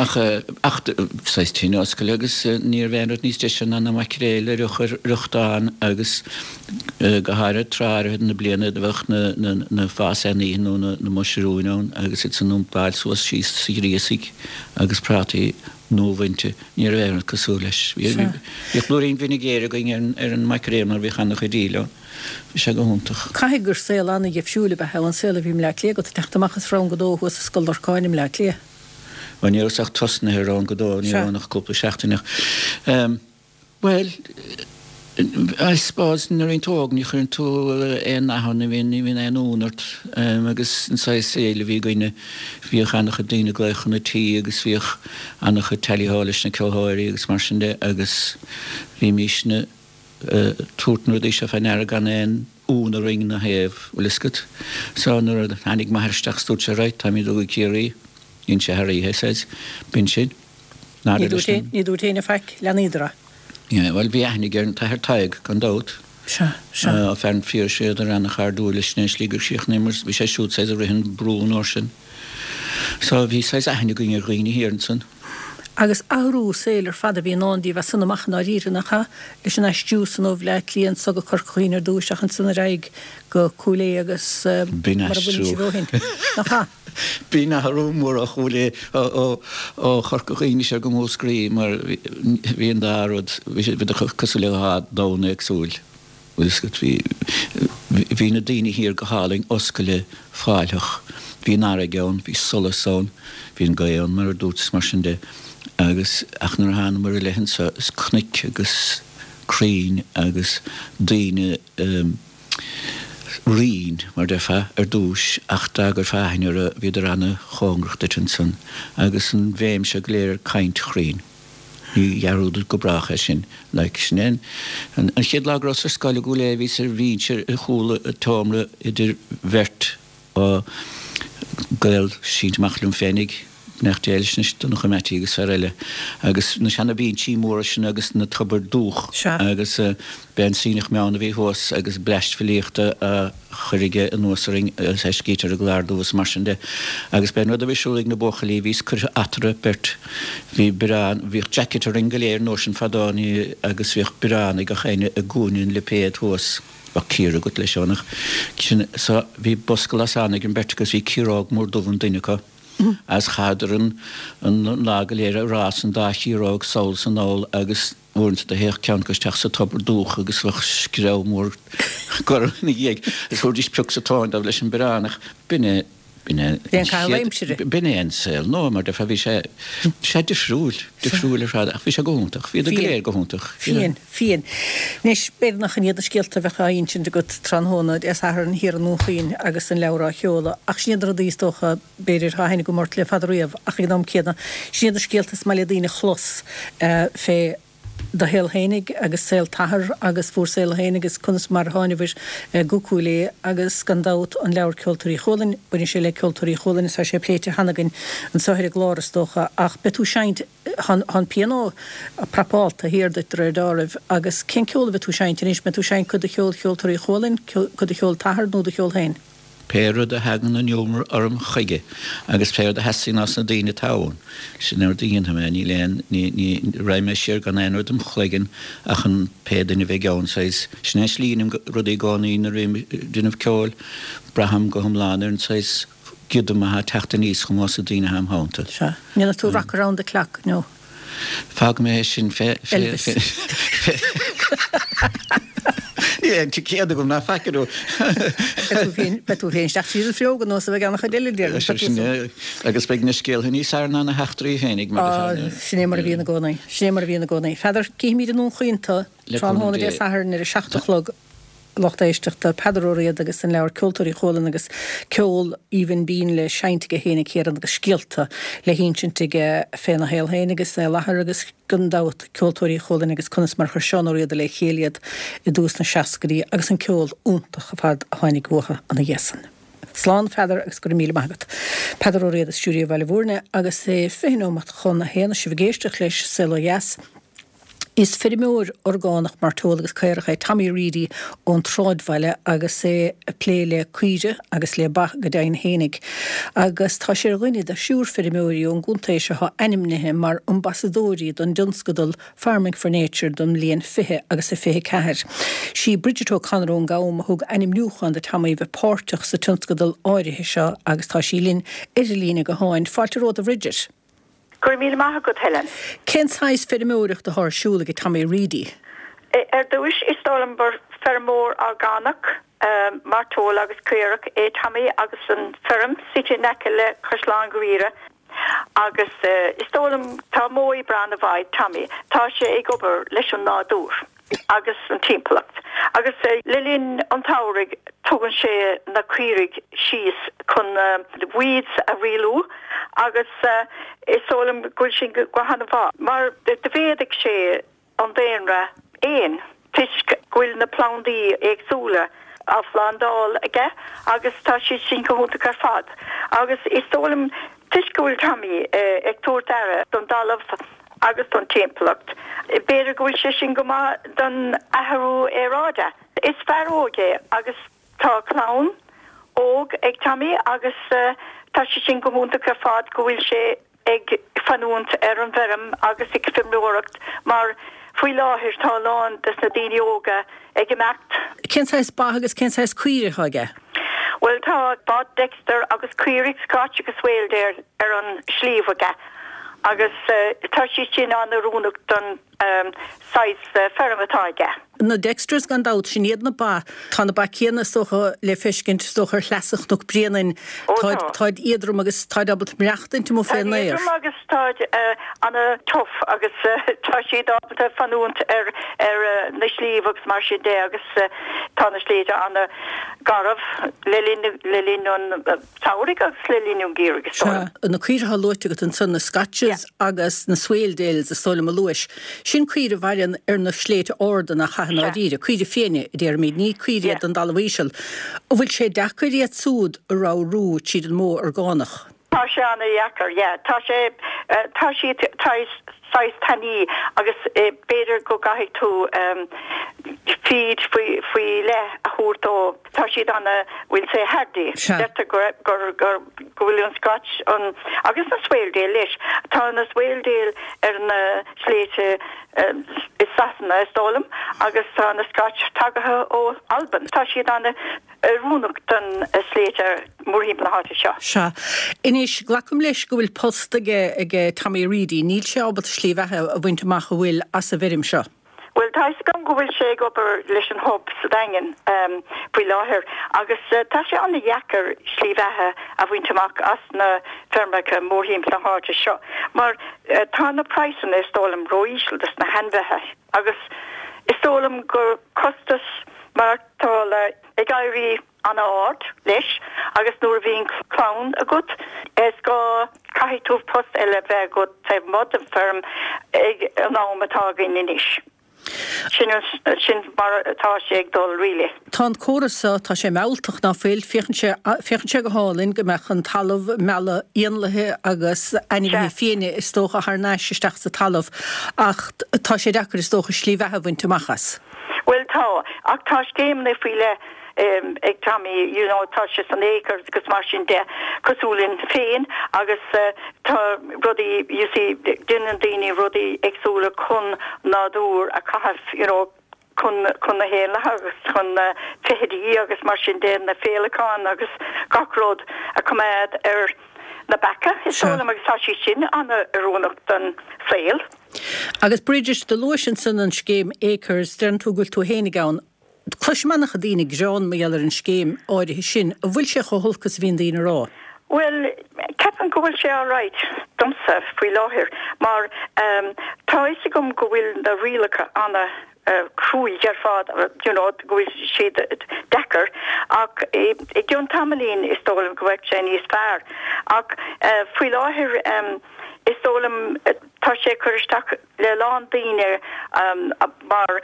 ach ach saghas tine oscailte agus ní raibh aon rud níos deise ná na maicréil a fhrioch ar fhriochtán agus go háirithe tráth áirithe na bliana do bheadh na na na fásaíní nó na na muisiriúin ann agus iad san iompáil suas síos sa ghríosaigh agus prátaí nuabhainte. Ní raibh aon rud cosúil leis. Bhíodh blúirín vinegar againn ar an maicréal mar bhíodh an-chuid aoil ann. Bhí sé go hiontach. Caithfidh gur saol an-dheifriúil ab ea é an saol a bhí i mBleá Cliath agat, ag teacht amach as Rang a Dó thuas i Scoil Lorcáin i mBleá Cliath. Bhuel, ní rabhas ach tosnaithe i Rang a Dó, ní raibh ann ach cúpla seachtain ach. Bhuel, I suppose nuair a bhíonn tú óg ní chuireann tú aon nath ann, ní bhíonn, ní bhíonn aon fhonn ort agus an saghas saoil a bhí againne, bhíodh an-chuid daoine ag glaoch chun an tí agus bhíodh an-chuid tally-ho leis na ceoltóirí agus mar sin de agus bhímísne ag tabhairt na rudaí seo fé ndeara gan aon fhonn orainn ina thaobh, bhfuil fhios agat. So nuair a tháinig m'athair isteach is dúirt sé right, táimid ag dul go Ciarraí, dhein sé thar oíche, says, b'in sin. Ní dúirt aon, ní dúirt éinne faic, leanaíodar é. Yeah, bhuel bhí aithne aige ar an tAthair Tadhg, gan dabht. Sea, sea. Fear an Phiarsaigh, bhíodar ana-chairdiúil leis an slí gur chríochnaíomar, bhí sé siúd saghas ag rith an brú an uair sin. So bhí saghas aithne againn ar dhaoine thiar ansan. Agus athrú saoil ar fad a bhí i ndán daoibh as san amach i ndáiríre, nach ea? Leis an aistriú san ó Bhleá Cliath anso go Corca Dhuibhne ar dtúis ach ansan ar aghaidh go Cúil Aodha agus B'in mar a bhfuil aistriú. sibh ó shin, nach ea? B'in athrú mór ó Chúil Aodha, ó Chorca Dhuibhne soir go Múscraí mar bhí an dá rud, bhí siad cosúil le dhá domhan éagsúil. Bhfuil fhios agat, bhí, bhí na daoine thiar go hálainn, oscailte, fáiltheach. Bhí an fharraige ann, bhí solas ann, bhí an ghaoth ann mar a dúirt is mar sin de. Agus, ach nuair a thánamar i leith anso, is cnoic agus crainn agus daoine righin, mar déarfá, ar dtúis, ach dá gcuirfeá aithne orthu, bhíodar ana-chóngarach duit ansan. Agus an bhéim seo go léir ar caint chruinn. Ní dhearúdfad go brách é sin. Like, sin é an chéad lá go rabhas ar scoil i gCúil Aodha, bhíos ar bhinse ar chúl an tseomra idir bheirt gaol sínte amach liom féinig, beannacht Dé leis anois, Donncha Mattie agus fear eile, agus na seana bhinsí móra sin agus na tobair dúch agus b'é an Sionnach Meann a bhí thuas agus bleaist filíochta á chur aige anuas orainn agus é scíte ar an gclár dubh is mar sin de. Agus b'é an rud a bhí ar siúl ag na buachaillí, bhíos curtha eatarthu beirt, bhí biorán, bhíodh jacket orainn go léir an uair sin fadó ní, agus bhíodh biorán ag gach éinne i gcúinne an lipéad thuas, bheadh cíor agat leis ann ach sin, so bhí bosca lasán ag an mbeirt agus bhí ciaróg mór dubh i nduine acu agus chaitheadar an, an lá go léir ag rás an dá chiaróg sall is anall agus Uaireanta do théadh ceann acu isteach sa tobar dúch agus bheadh screamh mór gorm ina dhiaidh agus thabharfaidís pioc sa tóin dóibh leis an biorán ach b'in é, b'in é B'é an caitheamh aimsire. B'in é an saol nua mar déarfá, bhí sé, bhí sé difriúil, difriúil ar fad ach bhí sé go hiontach, bhíodar go léir go hiontach. Fiain, fiain. Anois, b'fhéidir nach in iad na scéalta a bheadh á insint agat tráthnóna Dé Sathairn thiar i nDún Chaoin agus an leabhar á sheoladh ach sin iad na rudaí is dócha, b'fhéidir, atá aithne agam ort le fada riamh ach ag an am céanna, sin iad na scéalta is maith le daoine a chlos fé do shaol fhéinig agus saol t'athar agus bhur saol fhéinig agus conas mar a thánabhair go Cúil Aodha agus gan dabht an leabhar Ceoltóirí Chualann, baineann sé le Ceoltóirí Chualann is tá sé pléite cheana againn anso ar an gclár is dócha ach beidh tú seinnt, tá an pianó prapálta thiar duit de réir dealraimh agus cén ceol a bheidh tú seinnt anois, mbeidh tú seinnt cuid de cheol Cheoltóirí Chualann, cuid de cheol t'athar nó do cheol féin? Pé rud a thagann an iomramh orm chuige agus pé rud a theastaíonn ós na daoine atá ann, sin an rud a dhéanfaidh mé. Níl aon, ní, ní, raghaidh mé siar gan aon rud im chloigeann ach an pé duine a bheidh ann, saghas, sin é an slí a dheinim rudaí i gcónaí nuair a bhím ag déanamh ceoil, braithim go hiomlán ar an saghas giodam atá ag teacht aníos chugam ós na daoine atá im theannta. Sea. An ndéanfaidh tú Rock Around the Clock nó? Fágfaidh mé é sin fé, fé, Elvis. fé, fé. Níl aon ticéad agam ná faic orthu. Beidh tú féin, beidh tú féin isteach tríd an bhfuinneog ar nós a bheidh an-chuid eile déarfainn. Sea, sin é. Agus beidh na scéaltha níos fearr ná na heachtraí féinig, mar Á, a. sin é mar a bhíonn i gcónaí. Sin é mar a bhíonn i gcónaí. Pheadair, cífimid i nDún Chaoin tu Le cúnamh tráthnóna Dé Dé. Sathairn ar a seacht a chlog. lucht éisteachta, Peadar Ó Riada agus an leabhar Ceoltóirí Chualann agus ceol aoibhinn binn le seinnt aige féin a Ciarán agus scéalta le hinsint aige féna shaol féin agus é i láthair agus gan dabht Ceoltóirí Chualann agus conas mar chuir Seán Ó Riada le chéile iad i dtús na seascaidí agus an ceol iontach ar fad a tháinig uathu ina dhiaidh san. Slán a Pheadair agus go raibh míle maith agat. Peadar Ó Riada Stiúideo Bhaile Bhúirne agus é fiche nóimeat chun a haon sibh ag éisteacht leis Saol Ó Dheas. Is feirmeoir orgánach mairteola agus caorach é Tommy Reidy ón tSráidbhaile agus é ag plé le caoire agus le ba go deimhin fhéinig. Agus tá sé ar dhuine de thriúr feirmeoirí ón gcontae seo atá ainmnithe mar ambasadóirí don dtionscadal Farming for Nature don mbliain fiche agus a fiche ceathair. Sí Bridget O'Connor ón gCam a thug ainmniúchán do Tommy bheith páirteach sa tionscadal áirithe seo agus tá sí linn ar an líne gutháin. Fáilte romhat a Bhridget. Go raibh míle maith agat Helen. Cén saghas feirmeoireacht atá ar siúl ag Tommy Reidy? Ar dtús is dóigh liom gur feirmeoir orgánach mairteola agus caorach é Tommy agus an feirm suite in aice le Caisleán Ghriaire agus is dóigh liom tá modh oibre an-mhaith ag Tommy. Tá sé ag obair leis an nádúr agus an timpeallacht. Agus le linn an tsamhraidh tugann sé na caoirigh síos chun weeds a rialú agus is dóigh liom go bhfuil sin go han-mhaith. Mar do mhéadaigh sé an daonra éan toisc go bhfuil na plandaí éagsúla á phlandáil aige agus tá sé sin go hiontach ar fad. Agus is dóigh liom toisc go bhfuil Tommy ag tabhairt aire don talamh agus don timpeallacht. B'fhéidir go bhfuil sé sin go maith don athrú aeráide. Is fear óg é agus tá clann óg ag Tommy agus tá sé sin go hiontach ar fad go bhfuil sé ag fanúint ar an bhfeirm agus ag feirmeoireacht mar faoi láthair tá a lán des na daoine óga ag imeacht. Cén saghas ba agus cén saghas caoire atá aige? Well tá ba Dexter agus caoirigh Scotch agus Swaledale ar an sliabh aige agus tá siad sin an-oiriúnach don saghas feirm atá aige. Na Dexters gan dabht sin iad na ba tá na ba céanna is dócha le feiscint is dócha ar shleasa Chnoc Bréanainn táid éadrom agus táid ábalta maireachtaint amuigh fén aer. Éadrom agus táid an-tough agus tá siad ábalta fanúint ar ar na sléibhte agus mar sin de agus tá na sléibhte an-gharbh le linn le linn an tsamhraidh agus le linn an gheimhridh is dóigh. Na caoire atá luaite agat ansan na Scotches agus na Swaledales is dóigh liom a luais. Sin caoire a mhaireann ar na sléibhte arda nach ea i ndáiríre, caoire fiáine a déarfaimid, ní caoire iad don dtalamh íseal. An bhfuil sé deacair iad súd a ramhrú tríd an modh orgánach? Tá sé an-dheacair, yeah. Tá sé tá siad saghas tanaí agus b'fhéidir go gcaithfidh tú feed faoi faoi leith a thabhairt dó. Tá siad ana we'll say hardy. Deirtear go gur gur go bhfuil an Scotch an agus na Swaledale leis. Tá na Swaledale ar na sléibhte i Sasana is dóigh liom agus tá na Scotch tagaithe ó Albain. Tá siad ana oiriúnach don sléibhte mórthimpeall na háite seo. Sea. Anois, glacaim leis go bhfuil post aige aige Tommy Reidy. Níl sé ábalta slí bheatha a bhaint amach an bhfuil as an bhfeirm seo. Bhuel tá fhios agam go bhfuil sé ag obair leis an Hub sa Daingean faoi láthair agus tá sé an-dheacair slí bheatha a bhaint amach as na feirmeacha mórthimpeall na háite seo mar tá na praghsanna is dóigh liom ró-íseal dos na hainmhithe agus is dóigh liom gur costas maireachtála ag éirí an-ard leis agus nuair a bhíonn clann agat is gá caithfidh tú post eile bheith agat taobh amuigh den feirm ag an am atá againn anois. Sin sin mar atá sé ag dul really. Tá an córas seo, tá sé mealltach ná fuil, féachann sé féachann sé go hálainn go mbeadh an talamh mealladh éanlaithe agus ainmhithe fiáine is dócha thar n-ais isteach sa talamh ach tá sé deacair is dócha slí bheatha a bhaint amach as. Bhuel tá, ach tá scéimeanna faoi leith ag Tommy, you know, tá sé san Acres agus mar sin de cosúil linn féin agus tá rudaí, you see, déanann daoine rudaí éagsúla chun nádúr a chaitheamh, you know, chun chun na héanlaithe agus chun na feithidí agus mar sin de, na féileacáin agus gach rud a choimeád ar na beacha, is dóigh liom agus tá sé sin an-oiriúnach don saol. Agus Bridget, do luais ansan an scéim Acres, deireann tú go bhfuil tú fhéinig ann. Cloisim an-chuid daoine ag gearán mar gheall ar an scéim áirithe sin. An bhfuil sé chomh holc is a bhíonn daoine a rá? Bhuel, ceapaim Ceapaim go bhfuil sé alright domsa faoi láthair mar um, tá fhios agam go bhfuil na rialacha ana uh, cruaidh ar fad you know, go bhfuil siad deacair ach i i gceann tamaillín is dóigh liom go bhfuil sé níos fearr ach uh, faoi láthair um, is dóigh liom uh, tá sé cur isteach le lán daoine um, mar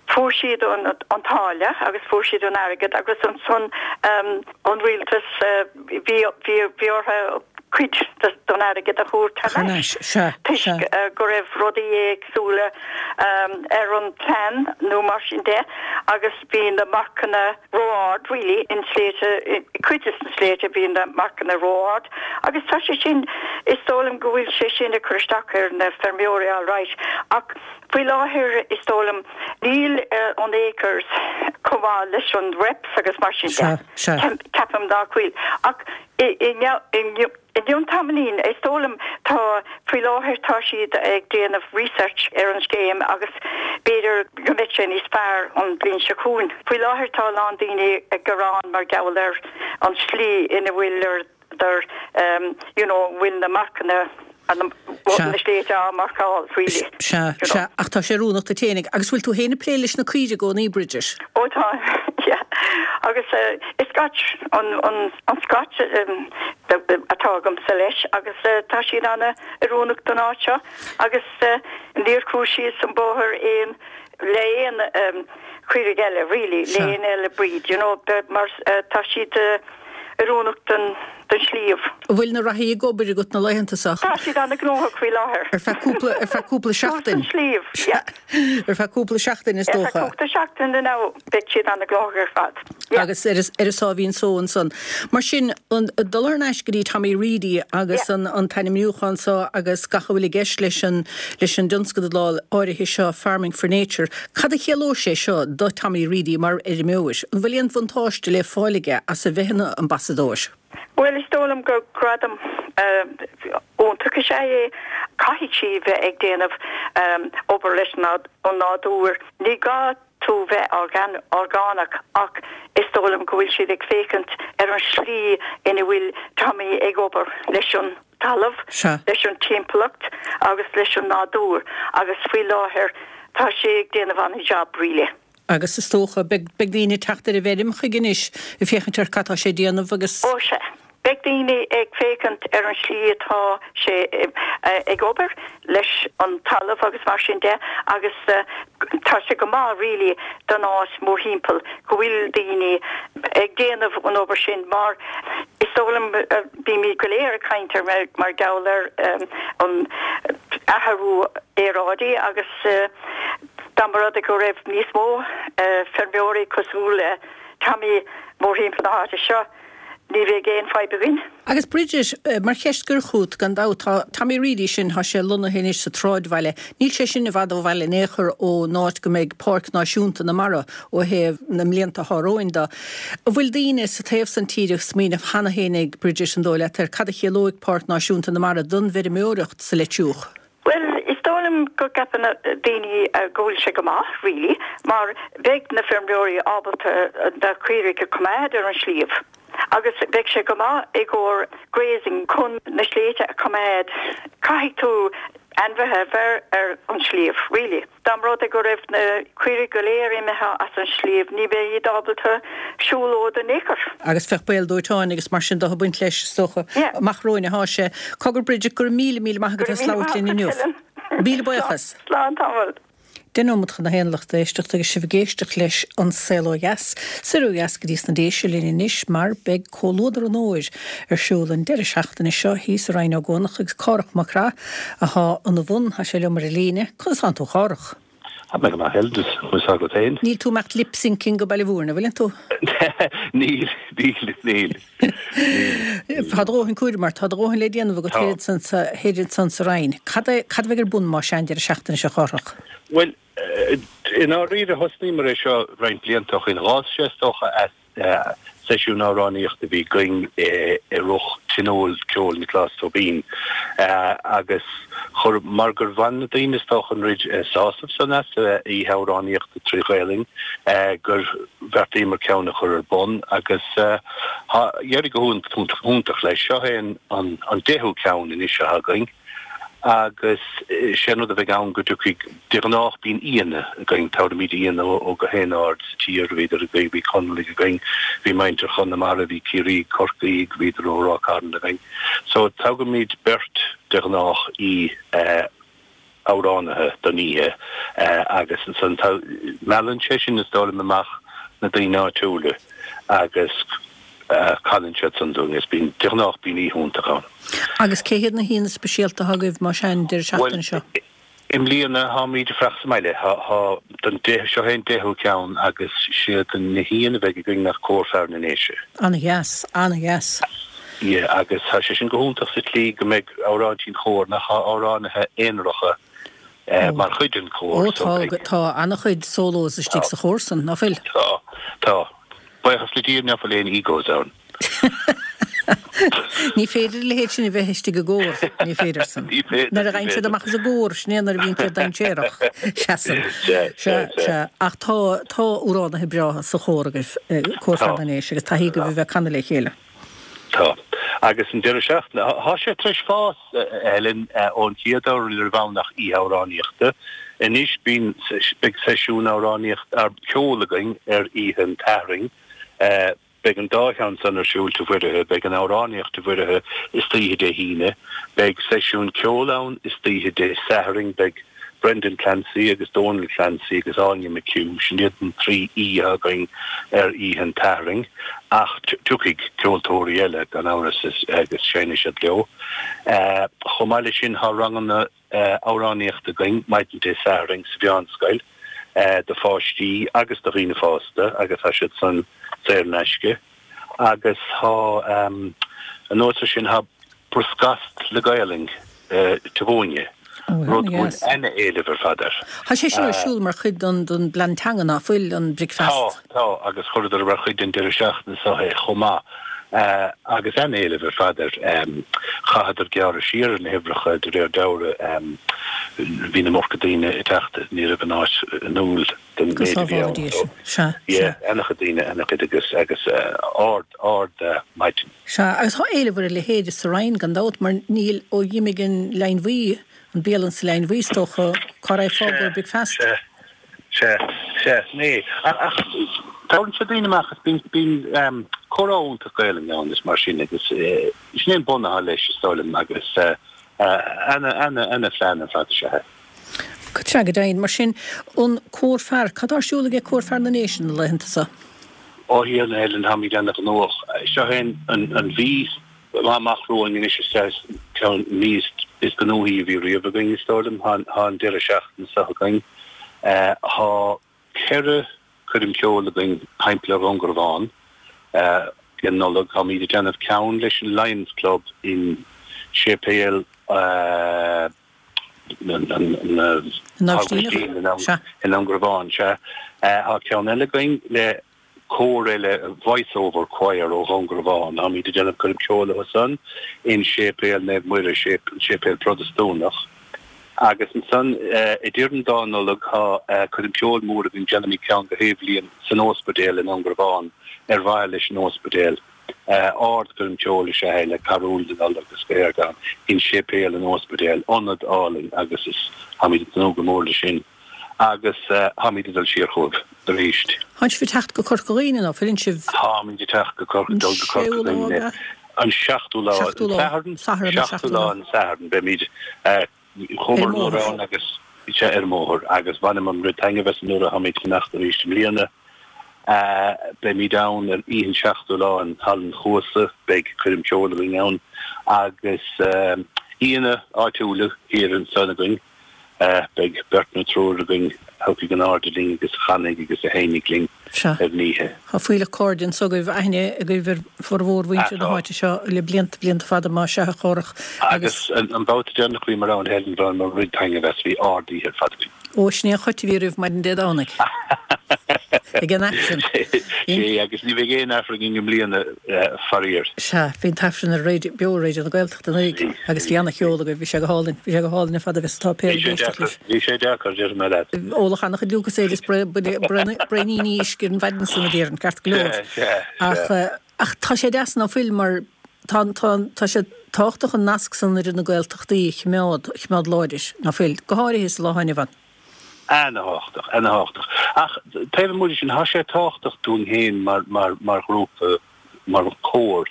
fuair siad an, an táille agus fuair siad an airgead agus ansan um, an rialtas uh, bhí bhí bhí orthu cuid don airgead a thabhairt Thar n-ais, sea, Toisc sea. uh, go raibh rudaí éagsúla um, ar an plean nó mar sin de agus bhí na marcanna ró-ard really in sléibhte cuid de na sléibhte bhí na marcanna ró-ard agus tá sé sin is dóigh liom go bhfuil sé sin ag cur isteach ar na feirmeoirí alright ach faoi láthair is dóigh liom níl uh, an acres chomh maith leis an reps agus mar sin Sea, de. sea. Ceapaim nach bhfuil ach i i i I gceann tamaillín is dóigh liom tá faoi láthair tá siad ag déanamh research ar an scéim agus b'fhéidir go mbeidh sé níos fearr an bhliain seo chugainn. Faoi láthair tá lán daoine ag gearán mar gheall ar an slí ina bhfuil ar der um, you know, bhfuil na marcanna an Sea. na sléibhte á marcáil really. Sea, You know. sea, ach tá sé oiriúnach duit fhéinig, agus bhfuil tú féin ag plé leis na caoirigh i gcónaí Bridget. Ó tá yeah. agus uh, is Scotch an an an Scotch um, atá agamsa leis agus uh, tá siad ana oiriúnach don áit seo agus uh, níor chuaigh siad san bóthar aon le aon um, caoirigh eile really Sea. le aon eile breed you know be- mar uh, tá siad uh, oiriúnach don don sliabh. An bhfuil na reathaí ag obair agat na laethanta seo Tá siad ana gnóthach faoi láthair. ar feadh cúpla ar feadh cúpla seachtain. Sliabh yeah. Ar feadh cúpla seachtain is Ar dócha. cúpla seachtain now beidh siad ana gnóthach ar fad. Yeah. agus ar ar a sáimhín só ansan. Mar sin an dul ar ais go dtí Tommy Reedy agus Yeah. an an t-ainmniúchán seo agus gach a bhfuil i gceist leis an leis an dtionscadal áirithe seo Farming for Nature. Cad a chiallódh sé seo do Tommy Reedy mar fheirmeoir, an bhfuil aon bhuntáiste le fáil aige as a bheith ina ambasadóir. Well is dóigh liom gur gradam iontach is ea é caithfidh sí bheith ag déanamh um, obair leis an nádúr. Ní gá tú bheith organ orgánach ach is dóigh liom go bhfuil siad ag féachaint ar an slí ina bhfuil Tommy ag obair leis an talamh, Sea. leis an timpeallacht agus leis an nádúr agus faoi láthair tá sé ag déanamh an job really. Agus is dócha beidh daoine teacht ar a bhfeirm chuige anois ag féachaint ar cad tá sé déanamh agus Ó sé. Beidh daoine ag féachaint ar an slí atá sé eh, ag obair leis an talamh agus mar sin de agus uh, tá sé go maith really don áit mórthimpeall go bhfuil daoine ag déanamh an obair sin mar is dóigh liom uh, bímid go léir ag caint ar mar, mar gheall ar um, an athrú aeráide agus uh, dá mba rud go raibh níos mó uh, feirmeoirí cosúil le Tommy mórthimpeall na háite seo ní bheadh aon fadhb againn. Agus Bridget eh, mar cheist gur chút gan dabht tá Tommy Reedy sin tá sé lonnaithe anois sa tsráidbhaile. Níl sé sin i bhfad ó bhaile in aon chor ón áit go mbeidh Páirc Náisiúnta na Mara ó thaobh na mblianta atá romhainn de. An bhfuil daoine sa taobh san tíre ag smaoineamh cheana fhéinig Bridget an dóigh leat ar cad a chiallóidh Páirc Náisiúnta na Mara don bhfeirmeoireacht sa Leitriúch. Well, is dóigh liom go gceapann daoine uh, go bhfuil sé go maith, really, mar beidh na feirmeoirí ábalta uh, na caoirigh a choimeád ar an sliabh. Agus beidh sé go maith i gcomhair grazing chun na sléibhte a choimeád. Caithfidh tú ainmhithe bheith ar an sliabh, really. Dá mba rud go raibh na caoirigh go léir imithe as an sliabh, ní bheidh iad ábalta siúlóid in aon chor. Agus bheadh baol dóiteáin agus mar sin de ag baint leis is dócha Yeah. amach romhainn atá sé. Cogar Bridget gur míle míle maith Go agat raibh míle labhairt maith linn agat, inniu. Helen. Míle buíochas. Slán tamall. Deich nóiméad chun a haon lucht éisteachta agus sibh ag éisteacht leis an saol ó dheas. Soir ó dheas go dtí sna Déise linn anois mar beidh Comhluadar an Fhómhair ar siúl an deireadh seachtaine seo thíos i Rinn Ó gCuanach agus Cárthach Mac Craith atá ina bhun tá sé liom ar an líne, conas tánn tú Chárthach. Tá mé go maith Helen agat féin. Níl tú ag imeacht lip syncing go Baile Mhúirne, bhfuil tú? Níl níl níl. Tá dóthain cúraim mar tá dóthain le déanamh go Tá. héad san sa Rinn. Cad é- cad a bheidh ar bun mar sin deireadh seachtaine seo Chárthach. Well i ndáiríre thosnaíomar é seo roinnt blianta ó shin d'fhás sé is dócha as eh, seisiún amhránaíochta a bhí againn i rith tionól ceoil Nioclás Tóibín eh, agus Chuir, mar gur bhain na daoine is dócha an oiread sásamh san as oíche amhránaíochta trí Ghaelainn gur bheartaíomar ceann a chur ar bun agus tá éirithe go hiontach leis. Seo é an deichiú ceann anois atá againn agus sé an rud a bheidh ann go dtiocfaidh, de ghnách bíonn aíonna againn, tabharfaimid aíonna ó gach aon aird sa tír, bhíodar againn, bhí Conallaigh againn, bhí muintir Chonamara, bhí Ciarraí, Corcaígh, bhíodar ó Ráth Cairn againn. So toghfaimid beirt de ghnách aoi amhránaithe don oíche agus ansan meallann sé sin is dóigh liom amach na daoine áitiúla agus canann siad san dúinn is bíonn, de ghnách bíonn oíche iontach ann. Agus cé hiad na haíonna speisialta atá agaibh más ea an deireadh seachtaine seo? Bhuel, i mbliana táimid ag fuireach sa mbaile. Tá, don deich, seo é an deichiú ceann agus siad na haíonna a bheidh againn ná Cór Fear na nDéise. Ana-dheas, ana-dheas. Yeah, agus tá sé sin go hiontach sa tslí go mbeidh amhráintí an chóir nach amhránaithe aonaracha mar chuid den chór. Ó tá, tá an-chuid solos istigh sa chór san, ná fuil? Tá, tá. Buíochas le Dia ná fuil aon egos ann. Ní féidir a leithéid sin a bheith istigh i gcór, ní féidir san. Ní féidir, Nuair a ghabhann siad amach as an gcór, sin é nuair a bhíonn siad dainséarach. Seasann. Sea, sea, sea. Ach tá, tá amhránaithe breátha sa chór agaibh, Cór Fear na nDéise, agus taithí agaibh a bheith ag canadh le chéile. Tá. Agus an deireadh seachtaine, tá sé tar éis fás, a Helen, ón chéad uair ní raibh ann ach oíche amhránaíochta. Anois bíonn, beidh seisiún amhránaíochta, ceoil againn ar oíche an tSathairn. Beidh an dá cheann san ar siúl Tigh Mhuirithe. Beidh an amhránaíocht Tigh Mhuirithe istoíche Dé hAoine. Beidh seisiún ceoil ann istoíche Dé Sathairn. Beidh Brendan Clancy agus Donal Clancy agus Áine McHugh, sin iad an trí aoi atá againn ar oíche an tSathairn, ach tiocfaidh ceoltóirí eile gan amhras agus seinnfidh siad leo. Chomh maith leis sin tá ranganna amhránaíochta againn maidin Dé Sathairn sa Mheánscoil do pháistí agus do dhaoine fásta agus tá siad san saor in aisce agus tá, anuas ar sin, tá Bruscast le Gaelainn Tigh Mhúine, rud go bhfuil ana-éileamh ar fad air. Tá sé sin ar siúl mar chuid den den bplean teanga, ná fuil, an bricfeast? Tá, tá, agus chuireadar mar chuid den deireadh seachtaine seo é chomh maith. Agus ana-éileamh ar fad air. Chaitheadar gearradh siar ar na huimhreacha de réir dealraimh. Bhí an iomarca daoine ag teacht, ní raibh an áit inniúil don Go méid a bhí ann. sábhála Dia sinn. Sea, Yeah, sea. ana-chuid daoine, ana-chuid agus agus ard, ard maidin. Sea, agus tá éileamh ar a leithéid sa Rinn gan dabht, mar níl, ó dh'imigh an Leidhinn Bhuí, an bialann sa Leidhinn Bhuí is dócha, cá raghfá i gcomhair bricfeast? Sea, sea, sea, sin é. Ach tabharann sé daoine amach agus bíonn, bíonn comhrá iontach Gaelainne ann is mar sin agus sin é an bun atá leis is dóigh liom agus ana, ana, ana phlean ar fad is ea é. Sea, go deimhin. Mar sin, an Cór Fear, cad tá ar siúl aige Cór Fear na nDéise na laethanta seo? Ó a Helen, táimid ana-ghnóthach. Seo é an mhí amach romhainn anois is ea ceann mí is gnóthaí a bhí riamh againn, is dóigh liom. Tá an deireadh seachtaine seo againn. Tá ceithre choirm cheoil againn timpeall ar Dhún Garbhán i Nollaig. Táimid ag déanamh ceann leis an Lions Club in Séipéal na nAibhistíneach, i nDún Garbhán, sea. Tá ceann eile againn le cór eile, Voice Over Choir ó Dhún Garbhán. Táimid ag déanamh coirm ceoil leo san in Séipéal Naomh Muire, séipéal Protastúnach. Agus ansan idir an dá Nollaig tá coirm ceoil mór againn, déanaimid ceann gach aon bhliain san Ospidéal i nDún Garbhán ar mhaithe leis an Ospidéal. Ardchoirm ceoil is ea é le carúil na Nollag agus go léir ann in Séipéal an Ospidéil, ionad álainn agus is táimid ag tnúth go mór leis sin agus táimid ag dul siar chugaibh arís. Tánn sibh ag teacht go Corca Dhuibhne ná fuileann sibh? Táimid ag teacht go Corca, dul go Corca Dhuibhne an seachtú lá, an Satharn, seachtú lá an Satharn beimid Chuamar anuraidh ann agus bhí sé ar an mbóthar agus bhaineamar an oiread taitneamh as anuraidh táimid ag fanacht arís i mbliana. Beimid ann ar oíche an seachtú lá in Halla an Chuasa, beidh coirm ceoil againn ann agus aíonna áitiúla thiar ansan againn. Beidh beirt nó triúr againn a thiocfaidh in airde linn agus a chanfaidh agus a sheinnfidh linn Sea. ar an oíche. Tá fuílleach cairde anso agaibh, aithne agaibh ar formhór mhuintir na háite seo le blianta, blianta fada, más ea, a Chárthach, agus. Agus an babhta deireanach a bhíomar ann, Helen, bhaineamar an oiread taitneamh as, bhí ard-oíche ar fad againn. Ó, sin é an chait a bhí oraibh maidin Dé Domhnaigh. Ag an Aifreann. Sé, agus ní bheidh aon Aifreann againn i mbliana, faraor. Sea, bhí an tAifreann ar raidió, beo ar Raidió na Gaeltachta anuraidh agus bhí ana-cheol agaibh, bhí sé go hálainn, bhí sé go hálainn ar fad a bheith sa tsáipéal ag éisteacht libh. Bhí sé deacair, déarfaidh mé leat. Óladh ana-chuid Lucozade is braoiníní uisce ar an mhaidin san a déarfainn, ceart go leor. Ach, ach tá sé deas ná fuil mar tá, tá, tá sé tábhachtach an nasc san idir na Gaeltachtaí a choimeád, a choimeád láidir, ná fuil, go háirithe sa lá atá inniu ann. Ana-thábhachtach, ana-thábhachtach. Ach taobh amuigh de sin, tá sé tábhachtach dúinn féin mar, mar, mar ghrúpa, mar chór,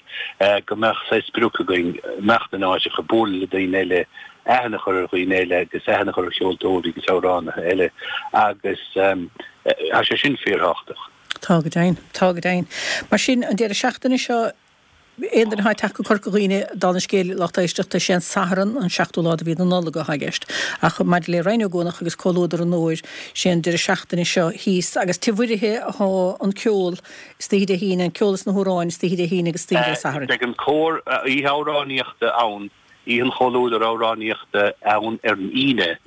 go mbeadh saghas sprioc againn, imeacht in áiteacha, bualadh le daoine eile, aithne a chur ar dhaoine eile agus aithne a chur ar cheoltóirí agus amhránaithe eile agus tá sé sin fíorthábhachtach. Tá go deimhin, tá go deimhin. Mar sin, an deireadh seachtaine seo, Aon duine atá ag teacht go Corca Dhuibhne, dála an scéil, lucht éisteachta, sé an Satharn an seachtú lá de mhí na Nollag atá i gceist. Ach maidir le Rinn Ó gCuanach agus Comhluadar an Fhómhair, sé an deireadh seachtaine seo thíos agus Tigh Mhuirithe atá an ceol istoíche Dé hAoine, an ceol is na hamhráin istoíche Dé hAoine agus istoíche Dé Sathairn. Beidh an cór, oíche amhránaíochta ann Oíche an Chomhluadair Amhránaíochta ann ar an Aoine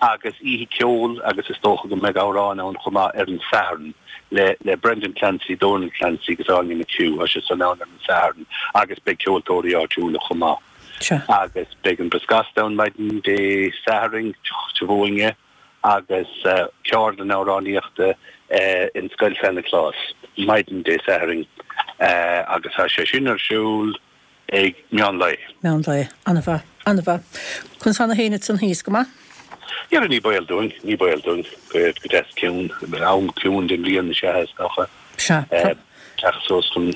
agus oíche ceoil agus is dócha go mbeidh amhráin ann chomh maith ar an Satharn le le Brendan Clancy, Donal Clancy agus Áine McHugh. Tá sé san ann ar an Satharn agus beidh ceoltóirí áitiúla chomh maith. Agus beidh an Bris Gasta ann maidin Dé Sathairn, Tigh Bhuaine agus ceardlann amhránaíochta in Scoil San Nioclás maidin Dé Sathairn agus tá sé sin ar siúl ag meán lae. Meán lae. An-mhaith. An-mhaith. Conas tá na héin ansan thíos? Go maith? Dhera, ní baol dúinn, ní baol dúinn. Go deas ciúin. Am ciúin den bhliain is ea é, is dócha. Sea. Tá. Teacht suas chun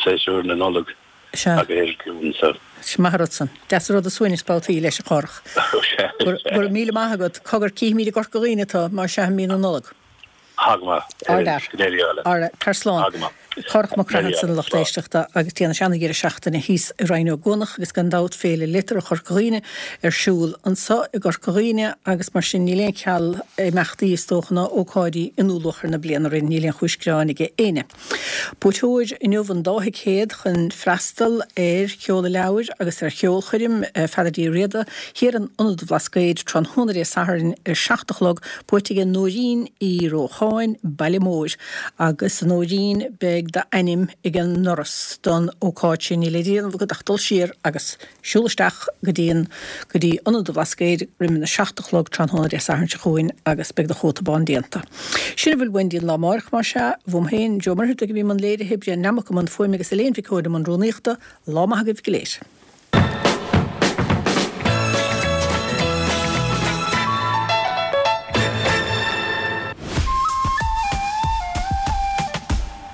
séasúr na Nollag. Sea. Agus é ciúin so. Is maith an rud san. Deas an rud an suaimhneas babhtaí leis, a Chárthach. Sea, Go sea. raibh míle maith agat. Cogar, cífimid i gCorca Dhuibhne tú, más ea, i mí na Nollag. Tá go maith. Ardfhear. Go n-éirí leat. Ardfhear. Tar slán. Tá go maith. Cárthach Mac Go Craith n-éirí ansan a leat. lucht Slán. éisteachta agus déanfaidh sé ana-dheireadh seachtaine thíos i Rinn Ó gCuanach agus gan dabht Féile Liteartha Chorca Dhuibhne ar siúl anso i gCorca Dhuibhne agus mar sin níl aon cheal imeachtaí is dócha ná ócáidí i ndúluachair na bliana orainn, níl aon chúis gearáin aige éinne. Buaiteoir inniu an dá thicéad chun freastal ar sheoladh leabhair agus ar cheolchoirm Pheadair Uí Riada thiar in Ionad an Bhlascaoid tráthnóna Dé Sathairn ar a seacht a chlog, buaite aige Nóirín Uí Rócháin, Baile Móir. Agus a Nóirín, beidh d'ainm ag an ndoras don ócáid sin. Níl le déanamh agat ach dul siar agus siúl isteach go dtí an, go dtí Ionad an Bhlascaoid roimh a seacht a chlog tráthnóna Dé Sathairn seo chugainn agus beidh do chóta bán déanta. Sin a bhfuil uainn go dtí an lá amárach, más ea. Uaim féin, Joe Muircheartaigh a bhí i mbun léirithe, Brian Nammock i mbun fuaime agus Elaine Mhic Eoin i mbun rúnaíochta. Lá maith agaibh go léir.